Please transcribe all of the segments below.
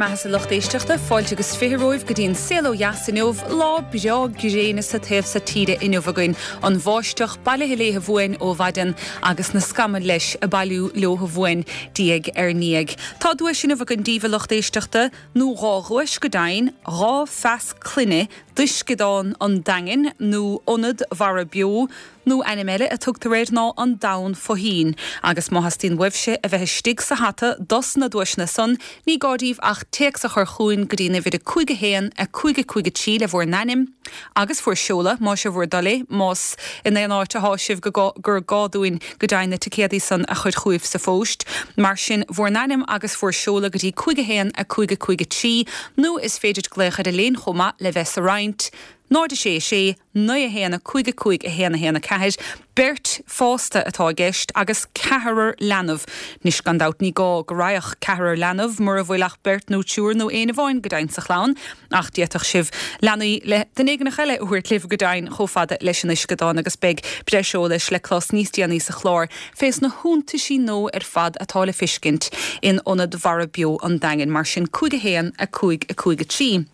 mbeatha a lucht éisteachta, fáilte agus 20 romhaibh go dtí an Saol Ó Dheas inniu, lá breá gréine sa taobh so tíre inniu againn, an bháisteach bailithe léithe uainn ó mhaidin agus na scamaill leis ag bailiú leotha uainn diaidh ar ndiaidh. Tá duais inniu againn daoibh a lucht éisteachta, nó dhá dhuais go deimhin, 2 phas clainne d'Uisceadán an Daingin nó Ionad Mhara Beo, nó ainm eile a tugtar air ná an Domhan Fo-Thoinn. Agus má theastaíonn uaibhse a bheith istigh sa hata dos na duaiseanna san, ní gá daoibh ach téacs a chur chugainn go dtí an uimhir 5 1 5 5 3 le bhur n-ainm agus bhur seoladh, más é bhur dtoil é, más in aon áit athá sibh go gur gá dúinn go deimhin na ticéadaí san a chur chugaibh sa phóist. Mar sin, bhur n-ainm agus bhur seoladh go dtí 5 1 5 5 3, nó is féidir glaoch ar an léin chomh maith le bheith sa roinnt, 0 6 6 9 1 5 5 1 1 4, Beirt fásta atá i gceist agus ceathrar leanbh. Anois, gan dabht, ní gá go raghadh ceathrar leanbh mura bhfuil ach beirt nó triúr nó éinne amháin go deimhin sa chlann, ach d'fhéadfadh sibh leanaí le duine éigineach eile a thabhairt libh go deimhin chomh fada leis an uisceadán agus beidh breis eolais le clos níos déanaí sa chlár fés na hiontaisí nua ar fad atá le fiscint in Ionad Mhara Beo an Daingin. Mar sin, 5 1 5 5 3.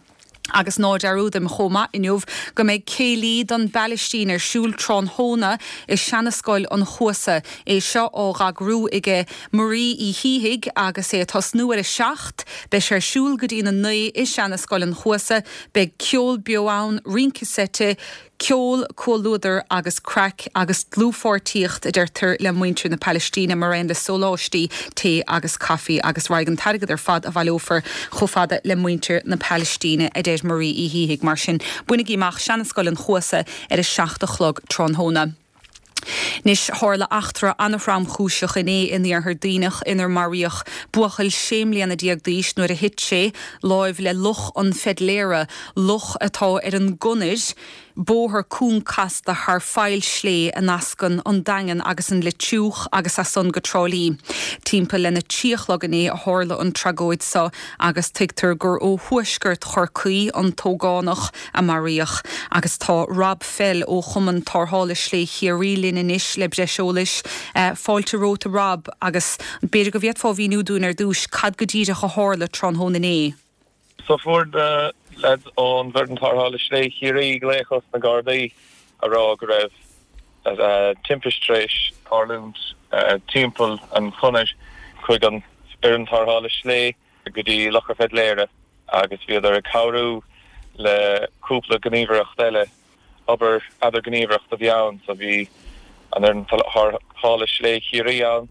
Agus ná dearúdaim chomh maith inniu go mbeidh céilí don bPailistín ar siúl tráthnóna i Seanascoil an Chuasa. É seo á dh'eagrú aige Marie Uí Shíthigh agus é ag tosnú ar a 7. Beidh sé ar siúl go dtí'n 9 i Seanascoil an Chuasa. Beidh ceol beo ann, rince seite, Ceol, comhluadar agus craic agus dlúthpháirtíocht, a deirtear, le muintir na Palaistíne, mar aon le sóláistí, tae agus caife agus raghaidh an t-airgead ar fad a bhaileofar chomh fada le muintir na Palaistíne, a deir Marie Uí Shíthigh. Mar sin, bainigí amach Seanascoil an Chuasa ar a 7 a chlog tráthnóna. Anois, tharla eachtra an-thromchúiseach inné in Iarthar Duibhneach inar maraíodh buachaill 16 mbliana d'aois nuair a thit sé láimh le Loch an Pheidléara, loch atá ar an gConair, bóthar cúng casta thar faill slé a nascann an Daingean agus an Leitriúch agus as san go Trá Lí. Timpeall lena trí a chlog inné a tharla an tragóid seo agus tuigtear gur ó thuaisceart Chorcaí an t-ógánach a maraíodh. Agus tá Rob Fell ó Chumann Tarrthála Slé Chiarraí linn anois le breis eolais. Fáilte romhat a Rob, agus b'fhéidir go bhféadfá a mhíniú dúinn ar dtúis cad go díreach a tharla tráthnóna inné. So fuair na leaids ón bhFoireann Tarrthála Slé Chiarraí glaoch ós na Gardaí a rá go raibh timpist tar éis tarlúint timpeall an chonair chuig an Fhoireann Tarrthála Slé. go dtí Loch an Pheidléara agus bhíodar ag cabhrú le cúpla gníomhaireacht eile, obair eadarghníomhaireacht a bhí ann, so bhí an Fhoireann Tarrthála Slé Chiarraí ann,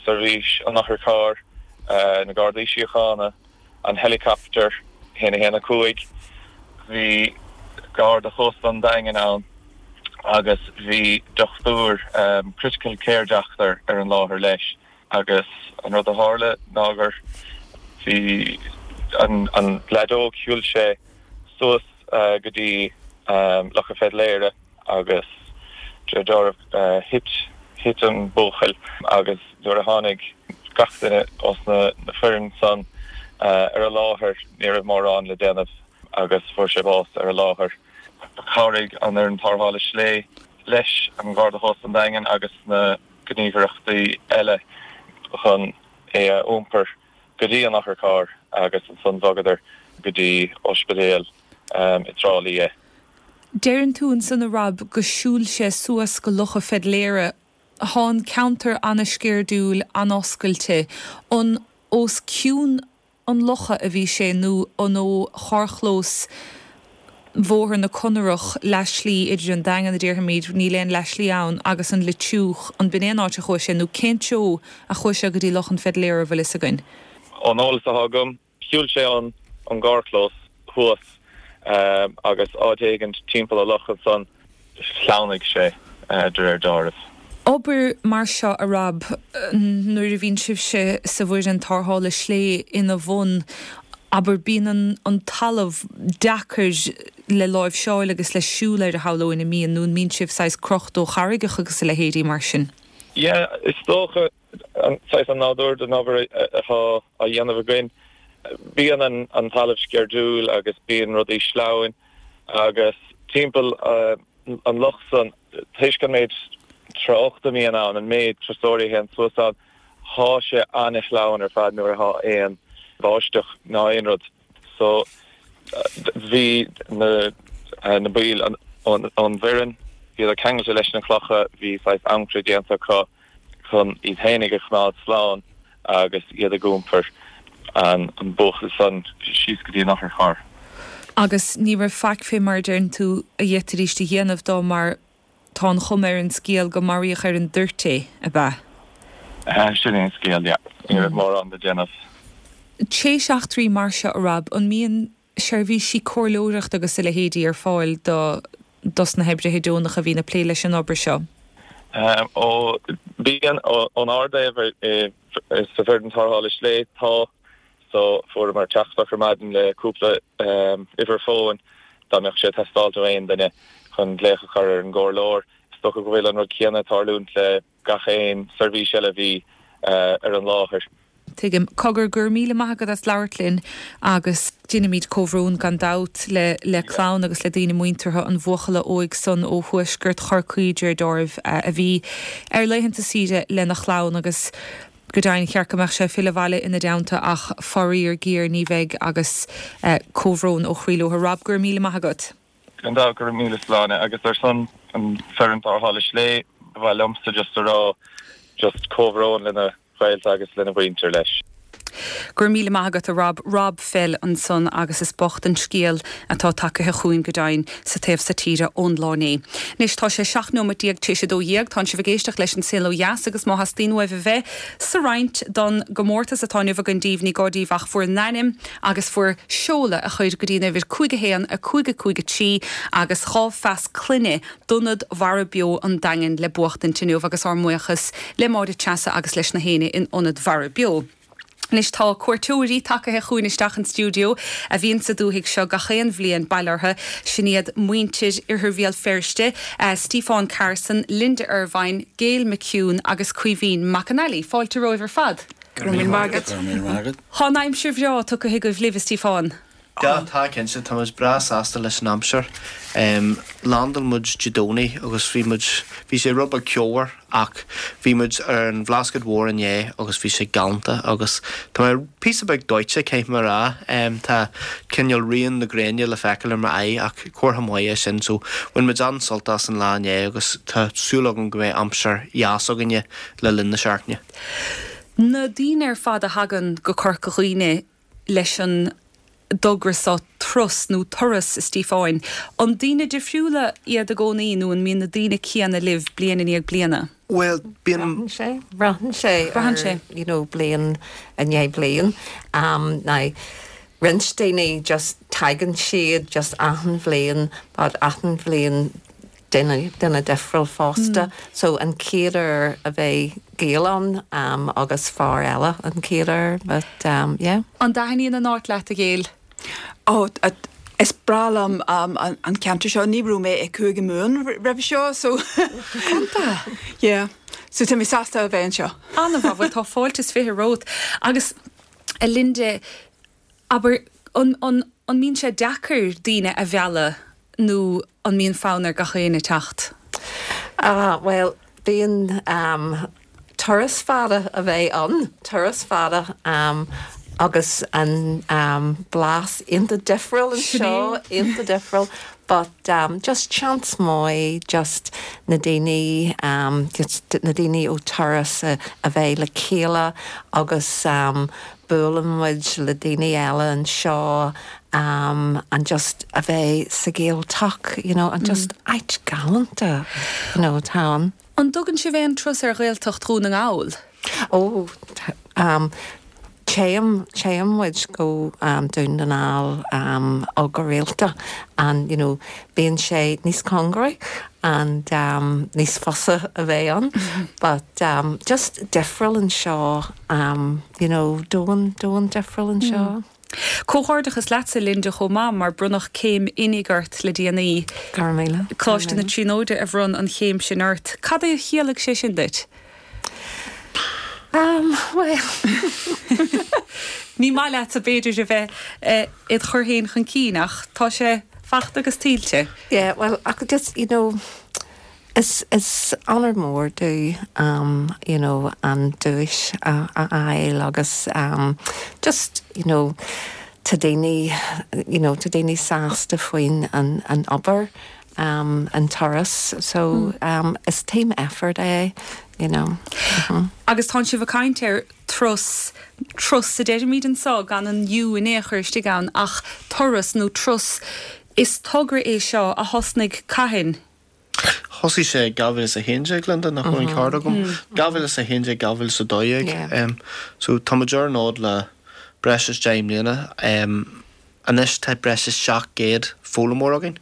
Seirbhís an Otharchairr, na Gardaí Síochána, an helicopter 1 1 5, bhí Garda Chósta an Daingin ann agus bhí dochtúir, critical care doctor ar an láthair leis. Agus an rud a tharla ná gur bhí an an leaid óg, shiúil sé suas go dtí Loch an Pheidléara agus de réir dealraimh thit, thit an buachaill agus nuair a tháinig gach duine ós na foireann san ar an láthair ní raibh mórán le déanamh agus fuair sé bás ar an láthair. Chabhraigh an fhoireann tarrthála slé leis an Gharda Chósta an Daingin agus na. gníomhaireachtaí eile chun é a iompar go dtí an otharcharr agus ansan bhogadar go dtí ospidéal i dTrá Lí é. Deireann tú ansan a Rob go siúil sé suas go Loch a' Pheidléara. Thá an ceantar ana-sceirdiúil, an-oscailte. An os cionn an locha a bhí sé nó an ó charrchlós Bhóthar na Conarach, leathshlí idir an Daingean, a déarfaimid, níl aon leathshlí ann, agus an Leitriúch, an b'in é an áit a chuaigh sé nó cén treo a chuaigh sé go dtí Loch an Pheidléara, an bhfuil fhios againn? Ón eolas atá agam, shiúil sé ón gcarrchlós thuas agus áit éigint timpeall an loch ansan. Shleamhnaigh sé, de réir dealraimh. Obair mar seo, a Rob, nuair a bhíonn sibhse sa bhfoireann tarrthála slé ina bhun, abair, bíonn an talamh deacair le láimhseáil agus le siúl air, a shamhlóinn, an mbíonn, nó an mbíonn sibh saghas crochta ó charraigeacha agus a leithéidí mar sin? Yeah, is dócha. Saghas an nádúr den obair atá á dhéanamh againn. Bíonn an talamh sceirdiúil agus bíonn rudaí sleamhain agus timpeall an loch san, toisc an méid tráchta a bhíonn ann, an méid turasóirí a théann suas ann, thá sé an-sleamhain ar fad nuair athá aon. báisteach ná aon rud. So bhí na na baill ón bhfoireann, bhíodar ceangailte leis na clocha, bhí saghas ancaire déanta acu chun iad fhéinig a choimeád slán agus iad ag iompar an buachaill san síos go dtí an otharcharr. Agus ní raibh faic fé mar a deireann tú a d'fhéadfaidíst a dhéanamh dó mar Tá an chuma ar an scéal go maraíodh ar an dtoirt é, ab ea? Sin é an scéal, yeah. Ní raibh mórán le déanamh. Théis eachtraí mar seo, a Rob, an mbíonn seirbhísí comhairleoireachta agus a leithéidí ar fáil do dos na hoibrithe deonacha a bhíonn ag plé leis an obair seo? Ó, bíonn. Ón ár dtaobh sa bhfoireann tarrthála slé, tá. So, fuaireamar teachtaireacht ar maidin le cúpla uimhir fóin dá mbeadh sé ag teastáilt ó aon duine chun glaoch a chur ar an gcomhairleoir. Is dócha go bhfuil an rud céanna ag tarlúint le gach aon seirbhís eile a bhí ar an láthair. Tuigim. Cogar, go raibh míle maith agat as labhairt linn agus deinimid comhbhrón gan dabht le le clann agus le daoine muinteartha an bhuachalla óig san ó thuaisceart Chorcaí, Ger Dáimh, a bhí ar laethanta saoire lena chlann agus Go deimhin, cheart go mbeadh sé ag filleadh abhaile ina dteannta ach faraor géar ní bheidh agus comhbhrón ó chroí leo. Rob, go raibh míle maith agat. Gan dabht, go raibh míle Sláine agus ar son an foireann tarrthála slé, ba mhaith liomsa just a rá just comhbhrón lena ghaolta agus lena mhuintir leis. Go raibh míle maith agat a Rob. Rob Fell ansan agus is bocht an scéal atá tagaithe chugainn go deimhin sa taobh so tíre ón lá inné. Anois tá sé 17 nóimeat tar éis 12, tánn sibh ag éisteacht leis an Saol Ó Dheas agus má theastaíonn uaibh a bheith sa roinnt don gcomórtas atá inniu againn daoibh ní gá daoibh ach bhur n-ainm agus bhur seoladh a chur go dtí an uimhir 5 1 5 5 3 agus 2 phas clainne d'Ionad Mhara Beo an Daingin le buachtaint inniu agus ár mbuíochas le Máire Treasa agus leis na héinne in Ionad Mhara Beo. Anois tá cuairteoirí tagaithe chugainn isteach an stiúideo a bhíonn sa dúthaigh seo gach aon bhliain, bail orthu. Sin iad muintir Oirthear Bhéal Feirste, Stiofán Carson, Linda Ervine, Gail McHugh agus Caoimhín McAnally. Fáilte romhaibh ar fad. Go raibh míle maith agat. Go raibh míle maith agat. Tá an aimsir bhreá tugtha agaibh libh, a Stiofáin. Yeah, tá cinnte, tá muid breá sásta leis an aimsir. Landáil muid Dé Domhnaigh agus bhí muid, bhí sé rud beag ceomhar ach bhí muid ar an Bhlascaod Mhór inné agus bhí sé galánta agus tá mé píosa beag dóite, caithfidh mé a rá. Tá cineál rian na gréine le feiceáil ar m'aghaidh ach comhartha maith é sin so bhain muid an-sult as an lá inné agus tá súil agam go mbeidh aimsir dheas againne le linn na seachtaine. Na daoine ar fad a thagann go Corca Dhuibhne, leis an dtogra seo Trus nó Turas, a Stíofáin. An daoine difriúla iad i gcónaí nó an mbíonn na daoine céanna libh bliain i ndiaidh bliana? Bhuel, bíonn. Braitheann sé, braitheann sé Braitheann sé. you know, bliain i ndiaidh bliain. Um, now, roinnt daoine just tagann siad just achan bhliain but achan bhliain duine, duine difriúil fosta. So an chéad uair a bheidh Gail ann um, agus fear eile an chéad uair, but um, yeah. An dtaitníonn an áit leat, a Ghail? Ó, is breá liom um, an, an ceantar seo. Ní raibh mé i Cúige Mumhan roimhe seo, so yeah. So tá mé sásta a bheith anseo. An-mhaith, bhuel tá fáilte is 20 romhat. Agus a Linda, Abair, an, an, an mbíonn sé deacair daoine a mhealladh nó an mbíonn fonn ar gach éinne teacht? Ah, bhuel, bíonn, ehm, turas fada a bheith ann, turas fada, ehm, agus an, ehm, blas iontach difriúil anseo, iontach difriúil, but, ehm, just seans maith just na daoine, ehm, just na daoine ó turas a, a bheith le chéile agus, ehm, Buaileann muid le daoine eile anseo and just a bheith sa Ghaeltacht, you know, and just áit galánta, you know, atá ann. An dtugann sibh aon turas ar Ghaeltacht Dhún na nGall? Ó, téann, téann muid go Dún na nGall ó go rialta and, you know, bíonn sé níos cóngaraí and níos fusa a bheith ann but just difriúil anseo you know, domhan, domhan difriúil anseo. Comhghairdeachas leatsa, Linda, chomh maith, mar bronnadh céim oinigh ort le déanaí. Go raibh míle. Coláiste na Tríonóide a bhronn an chéim sin ort. Cad é a chiallaigh sé sin duit? Um, bhuel. Ní maith leatsa, b'fhéidir, a bheith id chur féin chun cinn, ach tá sé faighte agus tuillte. Yeah, well, ach just, you know, Is is onóir mór domh you know an duais a fháil agus just you know tá daoine you know tá daoine sásta faoin an an obair an turas so is team effort é you know. Agus tánn sibh ag caint ar turas, trus a deirimid anso gan an U in aon chor istigh ann ach turas nó trus, is togra é seo a thosnaigh cathain? Thosaigh sé i 2011, Linda, nach bhfuil an ceart agam? 2011, 2012. So tá muid ar an fhód le breis is 10 mbliana. Anois tá breis is 700 foghlaimeoir againn.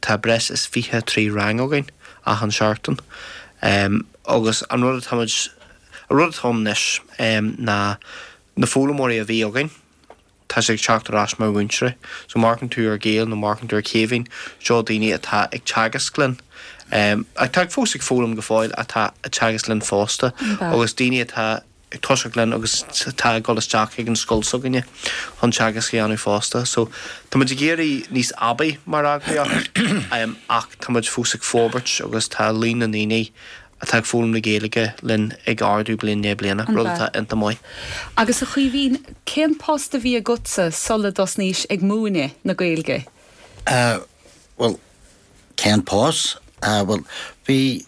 Tá breis is 23 rang againn achan seachtain. Agus an rud atá muid, an rud atá ann anois ná na foghlaimeoirí a bhí againn, tá siad ag teacht ar ais mar mhúinteoirí. So má amharcann tú ar Gail nó má amharcann tú ar Chaoimhín, seo daoine atá ag teagasc linn, atá fós ag foghlaim go fóill, atá ag teagasc linn fosta agus daoine atá ag toiseacht linn agus atá ag dul isteach chuig an scoil s'againne chun teagasc a dhéanamh fosta. So tá muid ag éirí níos aibí mar eagraíocht ach tá muid fós ag forbairt agus tá líon na ndaoine atá ag foghlaim na Gaeilge linn ag ardú bliain i ndiaidh bliana, rud atá iontach maith. Agus a Chaoimhín, cén post a bhí agatsa sula dtosnaís ag múineadh na Gaeilge? Bhuel, cén post? Bhuel, bhí,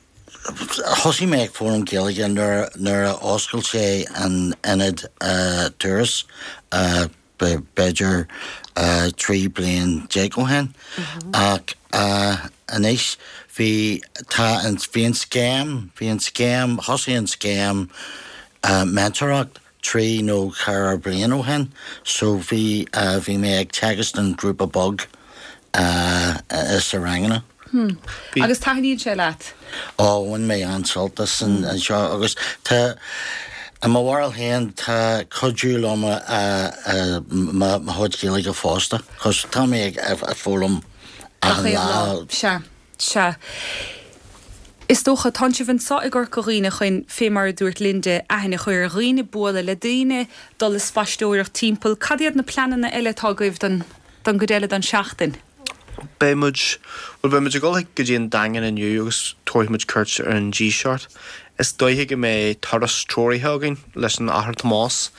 thosaigh mé ag foghlaim Gaeilge nuair, nuair a oscail sé an ionad turas b'fhéidir 13 bliain ó shin ach anois bhí, tá an, bhí an scéim, bhí an scéim, thosaigh an scéim meantóireacht 3 nó 4 bliain ó shin so bhí, bhí mé ag teagasc don ghrúpa beag sa ranganna. Hmm. Agus taitníonn sé leat? Ó, bhain mé an-sult as an seo agus tá, i mo bharúil féin, tá cuidiú liom mo chuid Gaeilge fosta, 'cause tá mé ag foghlaim achan lá. Sea, sea. Is dócha, tánn sibh anso i gCorca Dhuibhne chun, fé mar a dúirt Linda, aithne a chur ar dhaoine, bualadh le daoine, dul ag spaisteoireacht timpeall. Cad iad na pleananna eile atá agaibh don don gcuid eile den seachtain? Beidh muid, bhuel beidh muid ag dul go dtí an Daingean inniu agus tabharfaidh muid cuairt ar an Díseart. Is dóiche go mbeidh turas treoraithe againn leis an Athair Tomás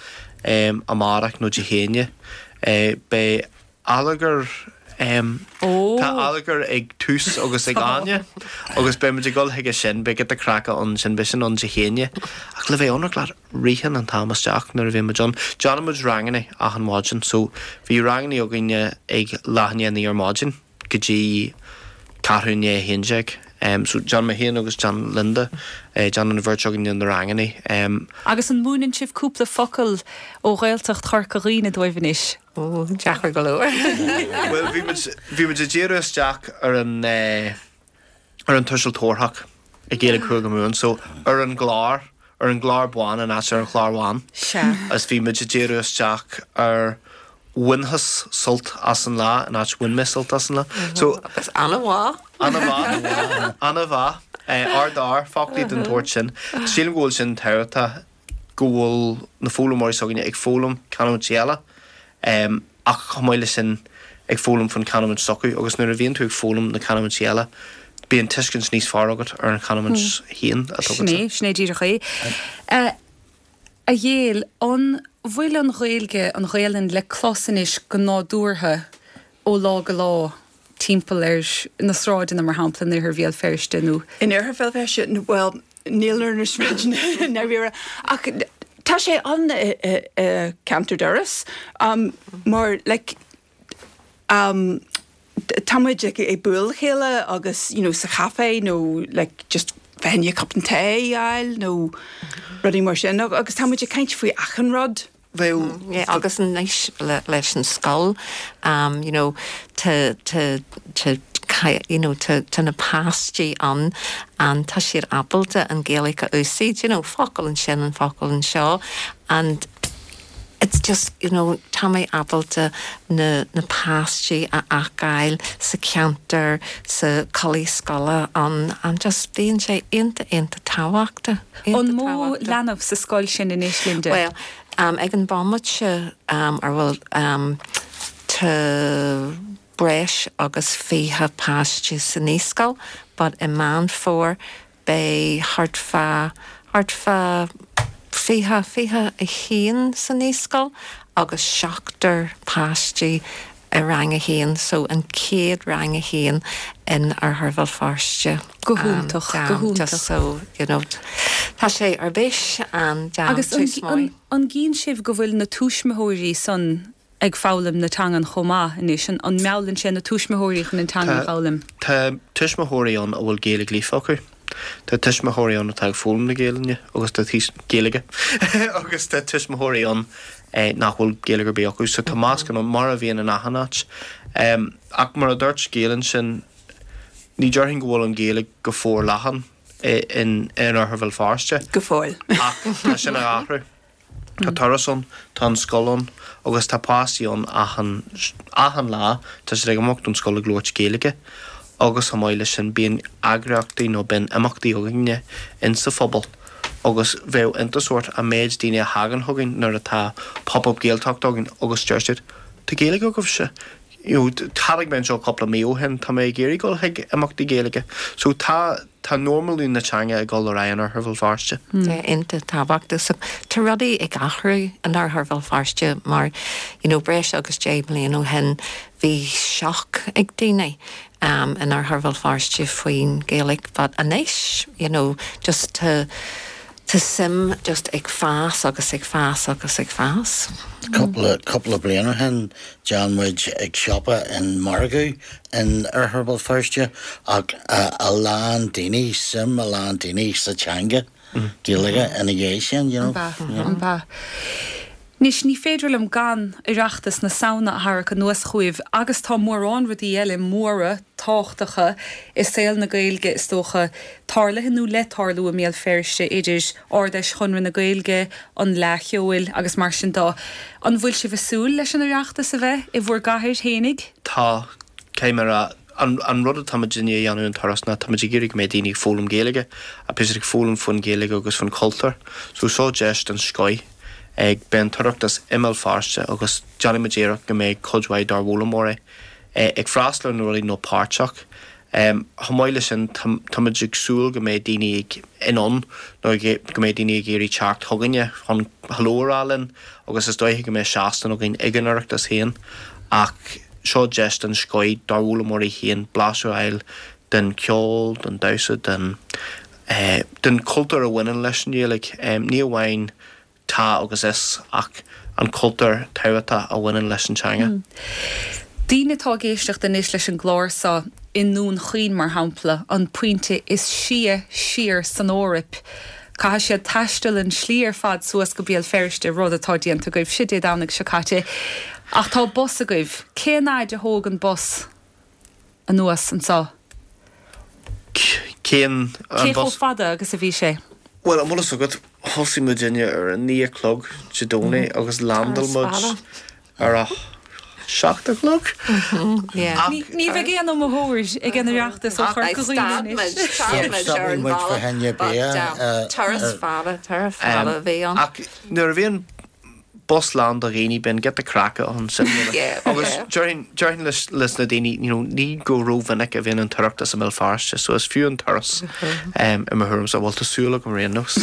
amárach nó Dé hAoine. Beidh allagar, tá allagar ag Tús agus ag Áine agus beidh muid ag dul chuige sin, beidh giota craic ann sin, beidh sin ann Dé hAoine. Ach le bheith ionraic leat, ritheann an t-am isteach nuair a bhíonn muid ann. Déanann muid ranganna achan mhaidin so bhí ranganna againne ag leath i ndiaidh a naoi ar maidin go dtí ceathrú i ndiaidh a haon déag. So déanann mé féin agus déanann Linda, déanann an bheirt againne na ranganna. Agus an múineann sibh cúpla focal ó Ghaeltacht Chorca Dhuibhne dóibh anois? Ó, deacair go leor. Bhuel, bhí muid, bhí muid ag díriú isteach ar an eh, ar an tuiseal tabharthach i Gaeilge Chúige Mumhan so ar an gclár, ar an gclár bán in áit ar an chlár bhán. Sea. Agus bhí muid ag díriú isteach ar bhainfeas sult as an lá in áit bhain mé sult as an lá. So. Agus an-mhaith. An-mhaith. An-mhaith. Ard-fhear, foclaí den tsórt sin. Sílim go bhfuil sin tábhachtach go bhfuil na foghlaimeoirí s'againne ag foghlaim canúintí eile ach chomh maith leis sin ag foghlaim faoin chanúint s'acu agus nuair a bhíonn tú ag foghlaim na canúintí eile bíonn tuiscint níos fearr agat ar an chanúint féin atá agatsa. Sin é, sin é díreach é. A Ghael, an bhfuil an Ghaeilge, an Ghaelainn le clos anois go nádúrtha ó lá go lá timpeall ar na sráideanna, mar shampla, in oirthear Bhéal Feirste nó. In oirthear Bhéal Feirste, bhuel, níl ar na sráideanna i ndáiríre, ach tá sé ann i gceantar Dhoras, mar like tá muid ag bualadh le chéile agus you know sa chaifé nó like just fá choinne cupán tae a fháil nó rudaí mar sin agus tá muid ag caint faoi achan rud. Bheadh. Yeah, agus anois leis an scoil, you know, tá, tá, tá, you know, tá, tá na páistí ann and tá siad ábalta an Ghaeilge a úsáid, you know, focal ansin and focal anseo and it's just, you know, tá mé ábalta na, na páistí a fheiceáil sa cheantar, sa culaith scoile ann and just bíonn sé iontach, iontach tábhachtach, iontach An mó tábhachtach. leanbh sa scoil sin anois, Linda? Bhuel, Ag an bhomaite ar bhfuil tá breis agus 20 páiste sa naíscoil. but i Meán Fómhair beidh thart fá, thart fá 20, 21 sa naíscoil agus seachtar páistí i rang a haon, so an chéad rang a haon in Oirthear Bhéal Feirste. Go hiontach, go hiontach. Just so, you know, tá sé ar bís and Agus tús maith. An gcíonn sibh go bhfuil na tuismitheoirí san ag foghlaim na teangan chomh maith anois? An meallann sé na tuismitheoirí chun an teanga a fhoghlaim? Tá tuismitheoirí ann a bhfuil Gaeilge líofa acu. Tá tuismitheoirí ann atá ag foghlaim na Gaelainne agus tá Gaeilge agus tá tuismitheoirí ann nach bhfuil Gaeilge ar bith acu. So tá meascán ann, mar a bhíonn in achan áit. Ach mar a dúirt Gail ansin, ní déarfainn go bhfuil an Ghaeilge go forleathan in Oirthear Bhéal Feirste. Go fóill. Ach tá sin ag athrú. Tá turas ann, tá an scoil ann agus tá páistí ann achan, achan lá, tá siad ag imeacht ón scoil ag labhairt Gaeilge agus chomh maith leis sin bíonn eagraíochtaí nó bíonn imeachtaí againne insa phobal agus bheadh iontas ort an méid daoine a thagann chugainn nuair atá Pop Up Gaeltacht againn agus deir siad 'Tá Gaeilge agaibhse'. You know, tháinig mé anseo cúpla mí ó shin, tá mé ag iarraidh dul chuig imeachtaí Gaeilge. So tá, tá normalú na teanga ag dul ar aghaidh in Oirthear Bhéal Feirste. Yeah, iontach tábhachtach. So tá rudaí ag athrú in Oirthear Bhéal Feirste mar, you know, breis agus 10 mbliana ó shin bhí shock ag daoine um, in Oirthear Bhéal Feirste faoin Ghaeilge but anois, you know, just tá Tá suim just ag fás agus ag fás agus ag fás. Cúpla, cúpla bliain ó shin d'fhan muid ag siopa in margadh in Oirthear Bhéal Feirste ach a lán daoine, suim a lán daoine sa teanga Gaeilge ina dhiaidh sin, you know. An b'ea? Anois, ní féidir liom gan Oireachtas na Samhna a tharrac anuas chugaibh agus tá mórán rudaí eile móra tábhachtacha i saol na Gaeilge, is dócha, tarlaithe nó le tarlú i mBéal Feirste, idir Ard-Fheis Chonradh na Gaeilge, an Fhleadh Cheoil agus mar sin de. An bhfuil sibh ag súil leis an Oireachtas a bheith i bhur gcathair fhéinig? Tá, caithfidh mé a rá. An rud atá muid i ndiaidh a dhéanamh an turas ná tá muid ag iarraidh go mbeidh daoine ag foghlaim Gaeilge, ach beidh siad ag foghlaim faoin Ghaeilge agus faoin chultúr. So seo deis den scoith. Ag beidh an tOireachtas i mBéal Feirste agus déanfaidh muid iarracht go mbeidh cuid mhaith dár bhfoghlaimeoirí ag freastal ar na rudaí nó páirteach. Chomh maith leis sin, tá muid ag súil go mbeidh daoine ag in ann nó go mbeidh daoine ag iarraidh teacht chugainne chun hello a rá linn agus is dóiche go mbeidh seastán againn ag an Oireachtas féin ach seo deis den scoith dár bhfoghlaimeoirí féin blaiseadh a fháil den cheol, den damhsa, den. den chultúr a bhaineann leis an Ghaeilge. Ní amháin tá agus is, ach an cultúr tábhachtach a bhaineann leis an teanga. Daoine atá ag éisteacht anois leis an gclár seo i nDún Chaoin, mar shampla, an pointe is sia siar san Eoraip, caithfidh siad taisteal an slí ar fad suas go Béal Feirste, rud atá déanta agaibhse Dé Domhnaigh seo caite. Ach tá bus agaibh. Cén fhaid a thóg an bus? anuas anseo. Cén Cé chomh fada agus a bhí sé? Bhuel, an bhfuil fhios agat, thosaigh muidinne ar a naoi a chlog Dé Domhnaigh agus landáil muid ar a seacht a chlog. Ach ní bheidh aon iomaitheoir ag an Oireachtas ó Chorca Dhuibhne anois. Stopfaidh muid fá choinne bia. Turas fada, turas fada a bhí ann. Ach nuair a bhíonn bus lán de dhaoine, bíonn giota craice ann sin agus déarfainn, déarfainn leis, leis na daoine, you know, ní go rómhinic a bhíonn an tOireachtas i mBéal Feirste, so is fiú an turas i mo thuairimse, bhuel tá súil agam ar aon nós.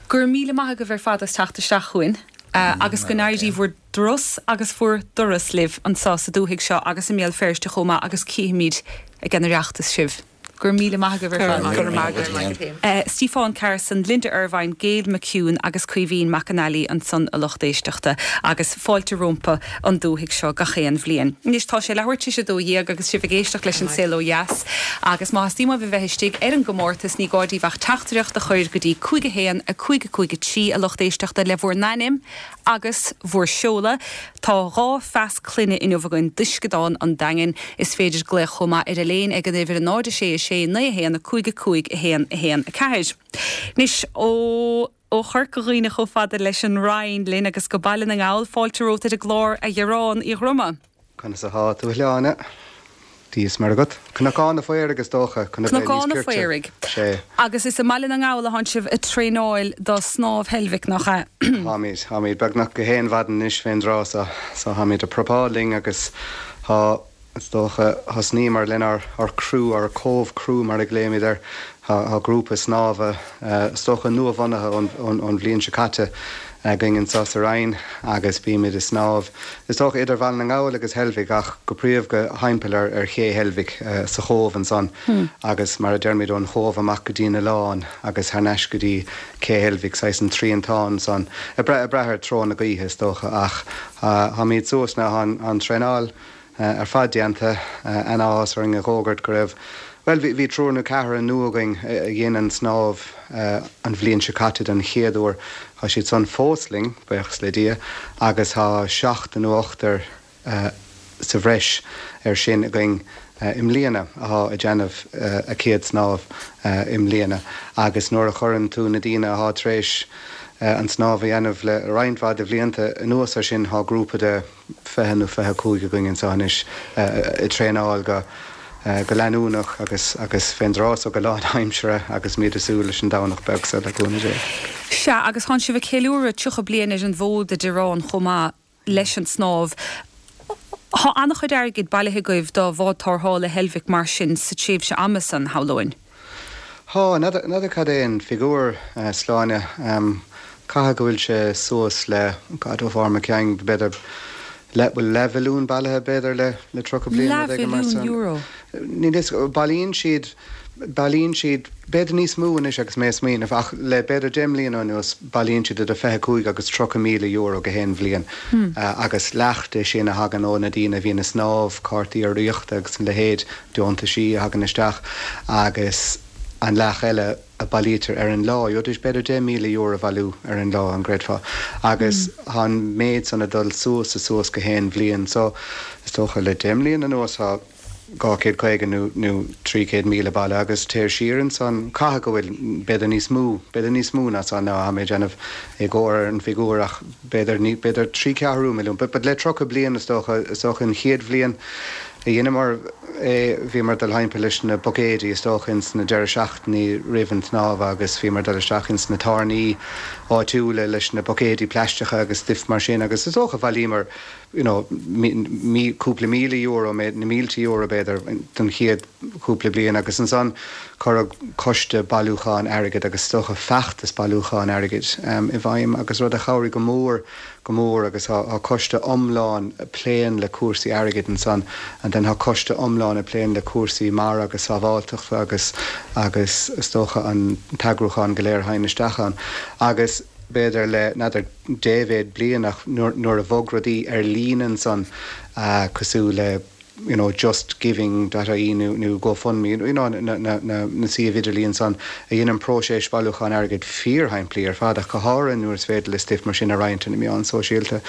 Go raibh míle maith agaibh ar fad as teacht isteach chugainn agus go n-éirí bhur dturas agus bhur dturas libh anseo sa dúthaigh seo agus i mBéal Feirste chomh maith agus cífimid ag an Oireachtas sibh. Go raibh míle maith agaibh ar fad. Go raibh maith agat. Stiofán Carson, Linda Ervine, Gail McHugh agus Caoimhín Mac an Fhailí ansan a lucht éisteachta agus fáilte rompu an dúthaigh seo gach aon bhliain. Anois tá sé leathuair tar éis a 12 agus sibh ag éisteacht leis an Saol Ó Dheas agus má theastaíonn uaibh a bheith istigh ar an gcomórtas ní gá daoibh ach teachtaireacht a chur go dtí 5 1 5 5 3 a lucht éisteachta le bhur n-ainm agus bhur seoladh. Tá 2 phas clainne inniu againn d'Uisceadán an Daingin. Is féidir glaoch chomh maith ar Elaine ag an uimhir 0 6 6 9 1 5 5 1 1 4. Anois, ó ó Chorca Dhuibhne chomh fada leis an Rinn linn agus go Baile na nGall, fáilte romhat ar an gclár, a Ghearáin Uí Dhroma. Conas athá tú a Shláine? Dia is Muire agat. Cnocán a' Phaoraigh is dócha, chun a bheith Cnocán níos a' cirte. Phaoraigh. Sé. Agus is i mBaile na nGall atánn sibh ag traenáil do Snámh Heilbhic, nach ea? Táimid, táimid beagnach gach aon mhaidin anois fén dtráth so, so táimid ag prapáil linn agus tá. Is dócha, thosnaíomar lenár ár criú, ár Cove Crew mar a ghlaoimid air. Tá grúpa snámha, is dócha nua-bhunaithe ón bhliain seo caite againn anseo sa Rinn agus bímid ag snámh, is dócha idir Bhaile na nGall agus Heilbhic ach go príomha thimpeall ar ché Heilbhic sa Chóbh ansan agus mar a deirimid ón Chóbh amach go dtí an oileán agus thar n-ais go dtí cé Heilbhic, saghas an triantán san, ag brath ar treo na gaoithe is dócha ach táimid suas now, tá an traenáil ar fad déanta. An-áthas orainn a dh'fhógairt go raibh, bhuel, bhí triúr nó ceathrar nua againn a dhein an snámh an bhliain seo caite don chéad uair. Tá siad san fós linn, buíochas le Dia, agus tá seachtar nó ochtar sa bhreis air sin againn i mbliana athá ag déanamh a céad snámh i mbliana. Agus nuair a chuireann tú na daoine athá tar éis an snámh a dhéanamh le roinnt mhaith de bhlianta anuas air sin, tá grúpa de 20 nó 25 againn anseo anois ag traenáil go go leanúnach agus agus fén dtráth so go lánaimseartha agus muid ag súil leis an Domhnach beag so le cúnamh Dé. Sea, agus tánn sibh ag ceiliúradh 30 bliain ar an bhfód a Dhireáin chomh maith leis an snámh. Thá an-chuid airgid bailithe agaibh do bhád tarrthála Heilbhic mar sin sa tréimhse ama san, shamhlóinn. Thá, n'fheadar cad é an figiúr, Sláine. Caithfidh go bhfuil sé suas le, God, ó bharr mo cheann, b'fhéidir, le, bhfuil leathmhilliún bailithe, b'fhéidir, le, le 30 bliain, rud éigin mar san. Leathmhilliún euro? Níl fhios, bailíonn siad, bailíonn siad, b'fhéidir níos mó anois agus mé ag smaoineamh, ach le b'fhéidir 10 mbliana anuas, bailíonn siad idir 25 agus 30,000 euro gach aon bhliain. Agus leath de sin a thagann ó na daoine a bhíonn ag snámh, cártaí urraíochta agus a leithéid. deontaisí a thagann isteach agus an leath eile a bailítear ar an lá. Gheobhaidís b'fhéidir €10,000 a bhailiú ar an lá, an gcreidfeá? Agus tá an méid san ag dul suas is suas gach aon bhliain. So, is dócha le deich mbliana anuas tá 250 nó nó 300,000 bailithe agus téir siar ansan, caithfidh go bhfuil b'fhéidir níos mó, b'fhéidir níos mó ná san now, tá mé ag déanamh éagóir ar an bhfigiúr ach b'fhéidir, b'fhéidir trí ceathrú milliún. But, but le 30 bliain is dócha, is dócha an chéad bhliain, a dheineamar é, bhíomar ag dul thimpeall leis na buicéidí is dócha ins na deireadh seachtainí roimh an tsnámh agus bhíomar ag dul isteach ins na tábhairní áitiúla leis na buicéidí plaisteacha agus stuif mar sin agus is dócha bhailíomar you know mí, cúpla míle euro, na mílte euro b'fhéidir don chéad chúpla bliain agus ansan cuireadh coiste bailiúcháin airgid agus is dócha feachtas bailiúcháin airgid i bhfeidhm agus rud a chabhraigh go mór go mór agus tá coiste iomlán a pléann le cúrsaí airgid ansan and then tá coiste iomlán a pléann le cúrsaí mara agus sábháilteachta agus agus is dócha an t-eagrúchán go léir a thagann isteach ann agus b'fhéidir le n'fheadar dé mhéad bliain ach nuair nuair a bhog rudaí ar líne ansan cosúil le you know justgiving dot ie nó nó GoFundMe you know na na na na suímh idirlíon san a dhein an próiseas bailiúcháin airgid fíorshimplí ar fad ach go háirithe nuair is féidir le stuif mar sin a roinnt ar na meáin sóisialta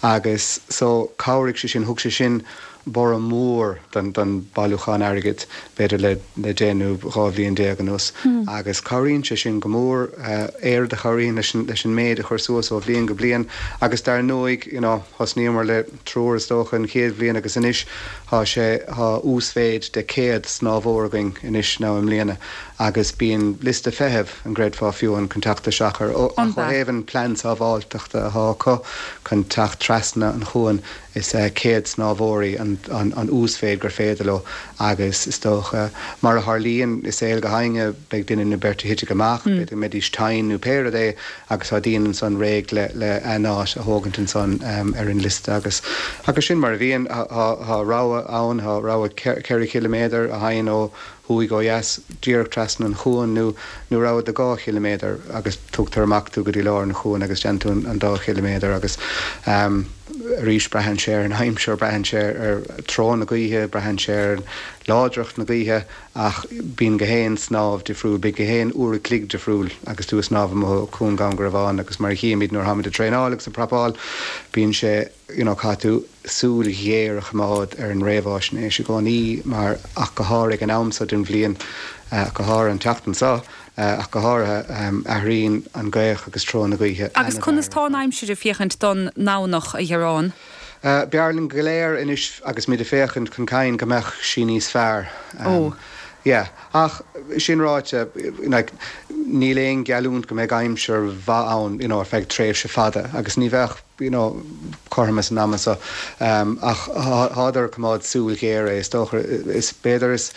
agus so chabhraigh sé sin thug sé sin borradh mór don don bailiúchán airgid b'fhéidir le le deich nó 12 bhliain anuas agus cabhraíonn sé sin go mór oiread a chabhraíonn leis an leis an méid a chur suas ó bhliain go bliain agus dar ndóigh you know thosnaíomar le triúr is dócha an chéad bhliain agus anois thá sé, thá uasmhéid de 100 snámhóir againn anois now i mbliana agus bíonn liosta feithimh, an gcreidfeá fiú amháin chun teacht isteach ar, ach ó thaobh an plean sábháilteachta athá acu chun teacht trasna an chuain is 100 snámhóirí an, an, an uasmhéid gur féidir leo agus is dócha mar a tharlaíonn i saol gach éinne beidh duine nó beirt a thitfidh amach, b'fhéidir go mbeidís tinn nó pé rud é agus tá daoine ansan réidh le le a n-áit a thógaint ansan ar an liosta agus agus sin mar a bhíonn. Tá rogha ann, tá rogha 4 chiliméadar a thagann ó thuaidh ó dheas díreach trasna an chuain nó nó rogha de 2 chiliméadar agus tugtar amach tú go dtí lár an chuain agus déanann tú an dá chiliméadar agus arís braitheann sé ar an aimsir, braitheann sé ar treo na gaoithe, braitheann sé ar láidreacht na gaoithe. Ach bíonn gach aon snámh difriúil, bíonn gach aon uair a chloig difriúil agus tú ag snámh amuigh i Cuan Dhún Garbhán agus mar a chímid nuair atáimid ag traenáil agus ag prapáil, bíonn sé, you know, caithfidh tú súil ghéar a choimeád ar an réamháisnéis i gcónaí mar, ach go háirithe ag an am seo den bhliain, ach go háirithe an tseachtain seo, ach go háirithe, athraíonn an ghaoth agus treo na gaoithe Agus conas tá an aimsir ag féachaint don nDomhnach, a Dhireáin? B'fhearr linn go léir anois agus muid ag féachaint chun cinn go mbeadh sí níos fearr. Ó. Yeah. Ach sin ráite, like, níl aon gheallúint go mbeidh aimsir mhaith ann, you know, ar feadh tréimhse fada agus ní bheadh. you know, cothromas an ama so. Ach thádar ag coimeád súil ghéar é, is dócha. Is b'fhéidir is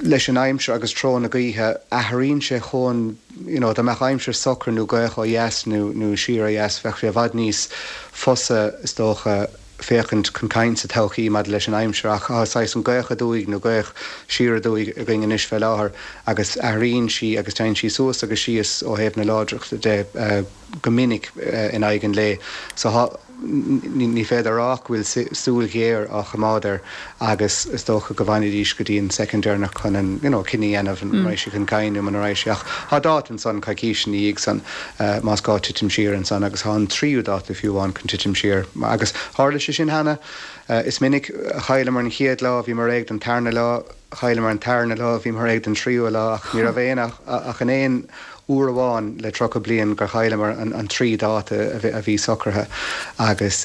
leis an aimsir agus treo na gaoithe, athraíonn sé chomh, you know, dá mbeadh aimsir socair nó gaoth ó dheas nó nó siar ó dheas, bheadh sé i bhfad níos fusa, is dócha, féachaint chun cinn sa todhchaí maidir leis an aimsir ach tá saghas an gaoth aduaidh nó gaoth siar aduaidh againn anois fé láthair agus athraíonn sí agus téann sí suas agus síos ó thaobh na láidreachta de go minic in aghaidh an lae. So tá, ní féidir a rá ach go bhfuil súil ghéar á choimeád air agus is dócha go bhfanfaidís go dtí an soicind deireanach chun an, you know, cinneadh a dhéanamh an raghaidh sé chun cinn nó muna raghaidh sé. Ach tá dáta ansan, coicís ina dhiaidh san, más gá titim siar ansan agus tá an tríú dáta fiú amháin chun titim siar. Agus tharla sé sin cheana. Is minic a chailleamar an chéad lá, bhíomar réidh don tarna lá, chailleamar an tarna lá, bhíomar réidh don tríú lá ach ní raibh aon ach in aon uair amháin le 30 bliain gur chailleamar an trí dáta a bhí socraithe agus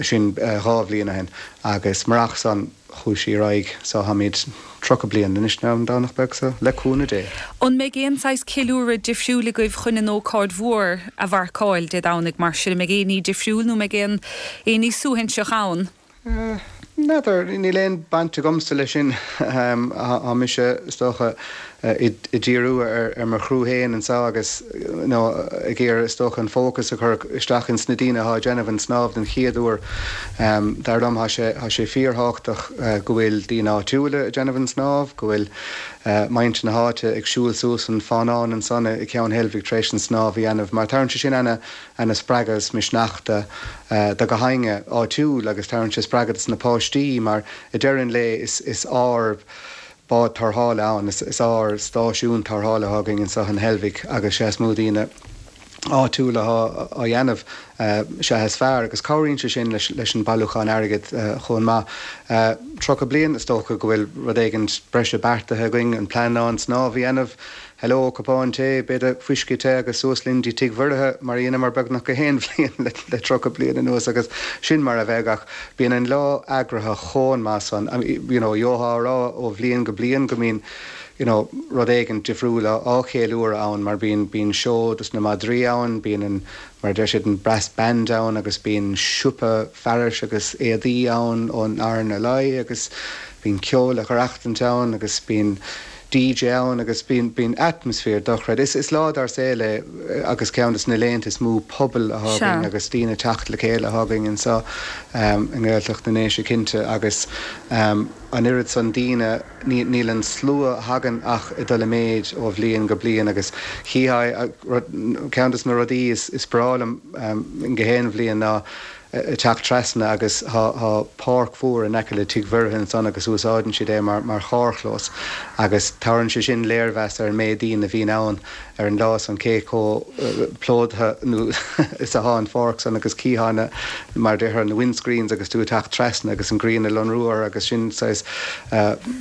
sin dhá bhliain ó shin. Agus murach san, chuaigh sí ar aghaidh. So táimid 30 bliain anois an Domhnach beag so, le cúnamh Dé. An mbeidh aon saghas ceiliúradh difriúil agaibh chun an ócáid mhór a mharcáil Dé Domhnaigh mar sin? An mbeidh aon ní difriúil nó an mbeidh aon aon ní suaithinseach ann? N'fheadar, níl aon baint agamsa leis sin. Tá mise, is dócha, ag díriú ar mo chriú féin anseo agus you know ag iarraidh is dócha an fócas a chur isteach ins na daoine atá ag déanamh an snámh den chéad uair. Dar liom tá sé tá sé fíorthábhachtach go bhfuil daoine áitiúla ag déanamh an snámh, go bhfuil muintir na háite ag siúl suas an fánán ansan i gCeann Heilbhic tar éis an snámh a dhéanamh mar tabharann sé sin ana ana spreagadh is misneach do do gach éinne áitiúil agus tabharann sé spreagadh dos na páistí mar i deireadh an lae is is ár bád tarrthála ann, is is ár stáisiún tarrthála atá againn anseo in Heilbhic agus sé is mó daoine áitiúla atá á dhéanamh sea is fearr agus cabhraíonn sé sin leis leis an bailiúchán airgid chomh maith. 30 bliain is dócha go bhfuil rud éigin breise beartaithe againn, an plean ná an snámh a dhéanamh Hello, cupán tae, b'fhéidir fuisce te agus suas linn dtí Tigh Mhuirithe mar a dheineamar beagnach gach aon bhliain le 30 bliain anuas agus sin mar a bheidh ach bíonn an lá eagraithe chomh maith san, you know, gheofá a rá ó bhliain go bliain go mbíonn you know rud éigin difriúil á cheiliúradh ann mar bíonn, bíonn seó dos na madraí ann, bíonn an, mar a deir siad, an brass band ann agus bíonn siopa fearais agus éadaí ann ón RNLI agus bíonn ceol á reachtaint ann agus bíonn DJ ann agus bíonn, bíonn atmaisféar dochreidte. Is, is lá dár saol é agus ceann de na laethanta is mó pobail atá againn agus daoine ag teacht le chéile atá againn anseo i nGaeltacht na nDéise cinnte agus an oiread san daoine, ní, níl an slua a thagann ach ag dul i méid ó bhliain go bliain agus chífeá, ceann de na rudaí is, is breá liom gach aon bhliain ná ag teacht trasna agus tá páirc mhór in aice le Tigh Mhuirithe ansan agus úsáideann siad é mar charrchlós agus tabharann sé sin léirmheas ar an méid daoine a bhíonn ann ar an lá san, cé chomh plódaithe nó is athá an pháirc san agus chífeá na, mar a déarfá, na windscreens agus tú ag teacht trasna agus an ghrian ag lonrú orthu agus sin saghas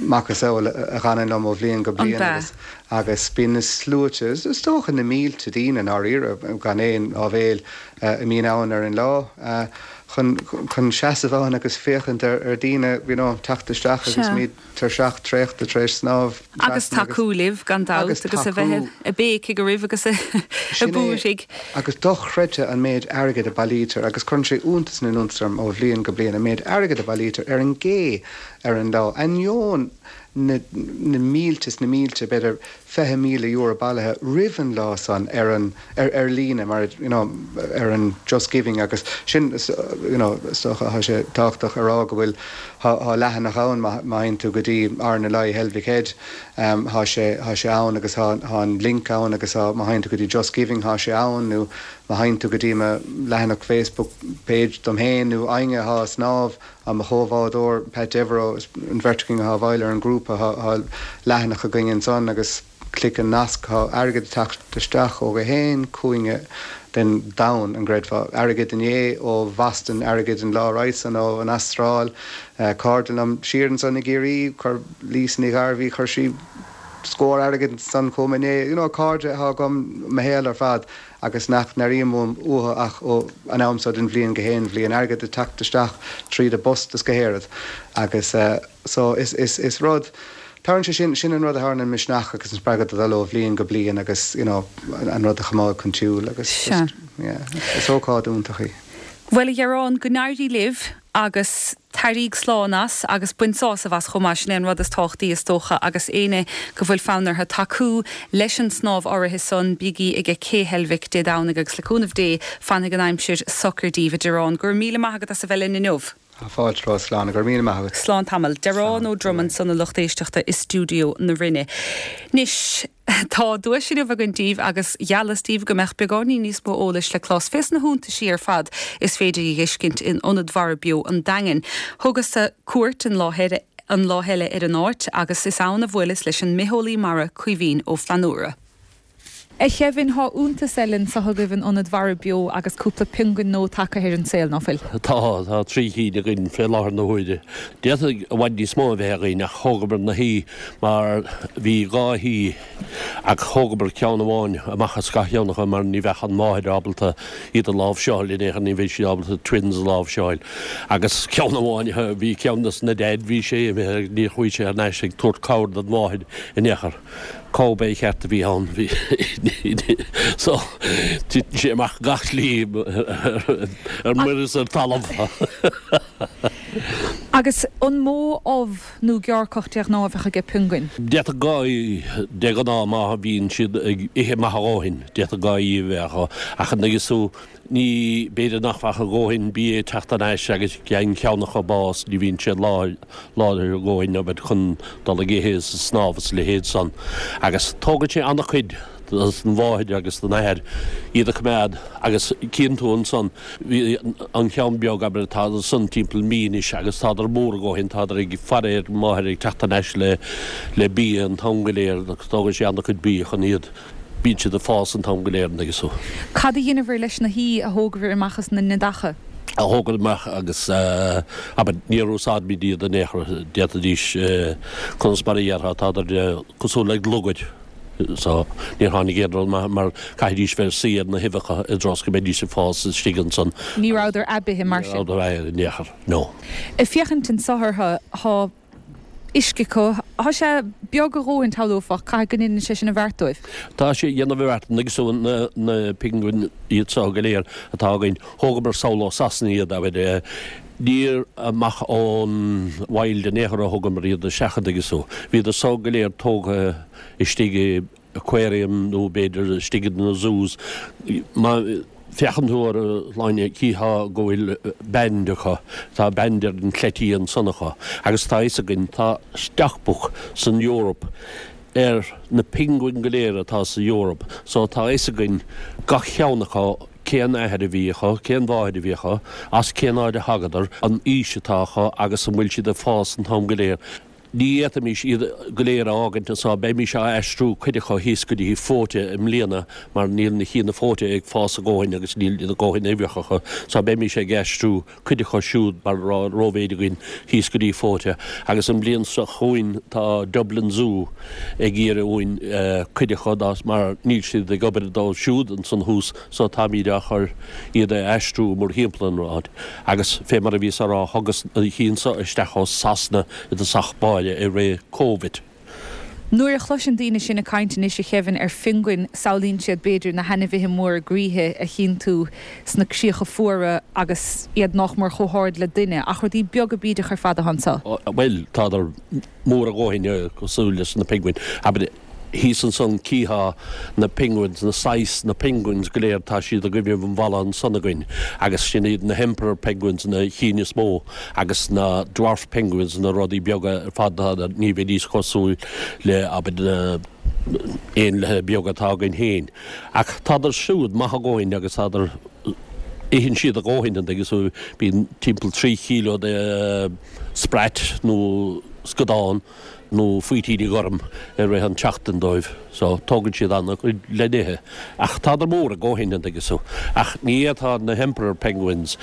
macasamhail a dh'fhanann liom ó bhliain go bliain agus agus bíonn na sluaite, is dócha na mílte daoine i ndáiríre gan aon áibhéil, a mbíonn ann ar an lá chun chun seasamh ann agus féachaint ar ar daoine you know teacht isteach agus iad tuirseach traochta tar éis snámh Agus tacú libh gan dabht agus agus a bheith ag béicigh oraibh agus ag Sin é búirthigh. agus dochreidte an méid airgid a bailítear agus cuireann sé iontas na n-iontas orm ó bhliain go bliain an méid airgid a bailítear ar an gcé ar an lá ainneoin na na mílte is na mílte b'fhéidir €20,000 bailithe roimh an lá san ar an, ar, ar líne mar, you know, ar an Just Giving agus sin, you know, is dócha, tá sé tábhachtach a rá go bhfuil, tá, tá leathanach ann má, má théann tú go dtí RNLI Heilbhic Head, tá sé, tá sé ann agus tá, tá an link ann agus tá, má théann tú go dtí Just Giving tá sé ann nó má théann tú go dtí mo leathanach Facebook page dom féin nó éinne atá ag snámh, Tá mo chomhbhádóir, Pat Devereux, an bheirt againn atá bhaill ar an ngrúpa, tá leathanach againn ansan agus clic an nasc, tá airgead ag teacht isteach ó gach aon chúinne den domhan, an gcreidfeá. Airgead inné ó Bhoston, airgead an lá roimhe san ó an Astráil, cairde liom siar ansan i gCiarraí, chuir Lisa Ní Ghairbhí, chuir sí scór airgid ansan chugam inné, you know, cairde atá agam mo shaol ar fad. agus nach n-airím uaim uathu ach ó an am so den bhliain go haon bhliain, airgead ag teacht isteach tríd an bpost is go héiread agus so is, is, is rud Tabharann sé sin, sin an rud a thabharann an misneach agus an spreagadh do dhul ó bhliain go bliain agus you know an rud a choimeád chun siúil agus just yeah is ócáid iontach í. Bhuel a Ghearáin, go n-éirí libh agus taraíg slán as agus bain sásamh as chomh maith, sin é an rud is tábhachtaí is dócha agus éinne go bhfuil fonn orthu tacú leis an snámh áirithe san, bígí ag Cé Heilbhic Dé Domhnaigh agus le cúnamh Dé fanfaidh an aimsir socair daoibh. A Dearáin, go raibh míle maith agat as a bheith linn inniu. Tá fáilte romhat, Slán, go raibh míle maith agat. Slán tamall. Dearán Ó Drom ansan a lucht éisteachta i stiúideo na Rinne. Anois, tá duais inniu againn daoibh agus gheallas daoibh go mbeadh beagáinín níos mó eolais le clos fés na hiontaisí ar fad is féidir a dh'fheiscint in Ionad Mhara Beo an Daingin. Thugas-sa cuairt an lá an lá eile ar an áit agus is ann a bhuaileas leis an mbitheolaí mara Caoimhín Ó Flannúra. A Kevin, thá iontas eile anso agaibh in Ionad Mhara Beo agus cúpla piongain nua tagtha ar an saol, ná fuil? Tá, tá 3 chinn againn fé láthair na huaire. D'fhéadfadh i bhfad níos mó a bheith againn ach thógamar na haoi mar bhí dhá haoi ach thógamar ceann amháin amach as gach ceann acu mar ní bheadh an mháthair ábalta iad a láimhseáil in aon chor, ní bheadh sí ábalta twins a láimhseáil. Agus ceann amháin, bhí ceann des na daid, bhí sé imithe agus níor chuaigh sé thar n-ais ag tabhairt cabhair don mháthair in aon chor. Cowboy ceart a bhí ann. Bhí so titeann sé amach gach slí ar muir is ar talamh. Agus an mó ubh nó gearrcach de ghnáth a bheadh aige piongain? D'fhéadfadh dhá de ghnáth má bhíonn siad ag ithe maith a dhóthain, d'fhéadfadh dhá a bheith acu ach an dtuigeann tú Ní, b'fhéidir nach bhfuil a dhóthain bia ag teacht thar n-ais agus faigheann ceann acu bás, ní bhíonn siad láidir a dhóthain abair chun dul ag ithe is ag snámh is a leithéid san. Agus tógann sé an-chuid don mháthair agus don athair iad a choimeád agus cíonn tú ansan, bhí an ceann beag abair atá ansan timpeall mí anois agus tádar mór a dhóthain, tádar ag faire ar an máthair ag teacht thar n-ais le le bia an t-am go léir agus tógann sé an-chuid bia chun iad Bíonn siad ag fás an t-am go léir an dtuigeann tú. Cad a dheineabhair leis na haoi a thógabhair amach as na neadacha? a thógaint amach agus abair níor úsáidimid iad in aon chor, d'fhéadfaidís, conas mar a dhéarfá, tádar cosúil le lugaid so níor tháinig aon rud maith mar caithfidís bheith ag suí ar na huibheacha i dtreo is go mbeidís ag fás istigh ansan. Ní rabhadar aibithe mar sin? Ní rabhadar aibithe in aon chor, no. Ag féachaint anso orthu, thá uisce acu. Thá sé beag a dhóthain, shamhlófá, caithfidh go ndeineann sé sin an bheart dóibh. Tá sé ag déanamh a bheart, an dtuigeann tú, na, na piongain iad seo go léir atá againn, thógamar sall ó Sasana iad, abair, níor amach ón wild in aon chor a thugamar iad isteach, an dtuigeann tú. Bhíodar so go léir tógtha istigh i, aquarium nó b'fhéidir istigh in na zoos. Má féachann tú orthu a Shláine, chífeá go bhfuil band acu, tá band ar an chleití ansan acu agus tá a fhios againn, tá stockbook san Eoraip ar na piongain go léir atá sa Eoraip so tá a fhios againn gach ceann acu cén athair a bhí acu, cén mháthair a bhí acu, as cén áit a thagadar, an aois atá acu agus an bhfuil siad ag fás an t-am go léir. Ní fhéadfaimis iad go léir a fhágaint anso, beimís á aistriú cuid acu thíos go dtí Fóite i mbliana mar níl na cinn i Fóite ag fás a dhóthain agus níl a dhóthain uibheacha acu so beimís ag aistriú cuid acu siúd mar tá rómhéid againn thíos go dtí Fóite agus an bhliain seo chugainn tá Dublin Zoo ag iarraidh uainn cuid acu mar níl siad ag obair dóibh siúd ansan thuas so táimíd á chur iad a aistriú mórthimpeall an áit agus fé mar a bhíos á rá thugas na cinn so isteach ó Sasana i dtosach báire i rith Covid. Nuair a chloiseann daoine sinn ag caint anois a Kevin ar phiongain samhlaíonn siad b'fhéidir na hainmhithe móra groíthe a chíonn tú sna críocha fuara agus iad nách mór chomh hard le duine ach rudaí beaga bídeacha ar fad atá anso. Bhuel tádar mór a dhóthain cosúil leis na piongain. Abair thíos ansan cífeá na penguins, na saghas na penguins go léir, tá siad i gcoinnibh an bhalla ansan againn agus sin iad na hemperor penguins na chinn is mó agus na dwarf penguins na rudaí beaga ar fad ní bheidís cosúil le abair na éanlaithe beaga atá againn féin. Ach tádar siúd maith a dhóthain agus tádar, itheann siad a dhóthain an dtuigeann tú, bíonn timpeall 3 kíló de sprat nó scadán nó faoitíní gorm i rith an tseachtain dóibh so tógann siad an-chuid le n-ithe. Ach tádar mór a dhóthain an dtuigeann tú. Ach ní fhéadfá na hemperor penguins,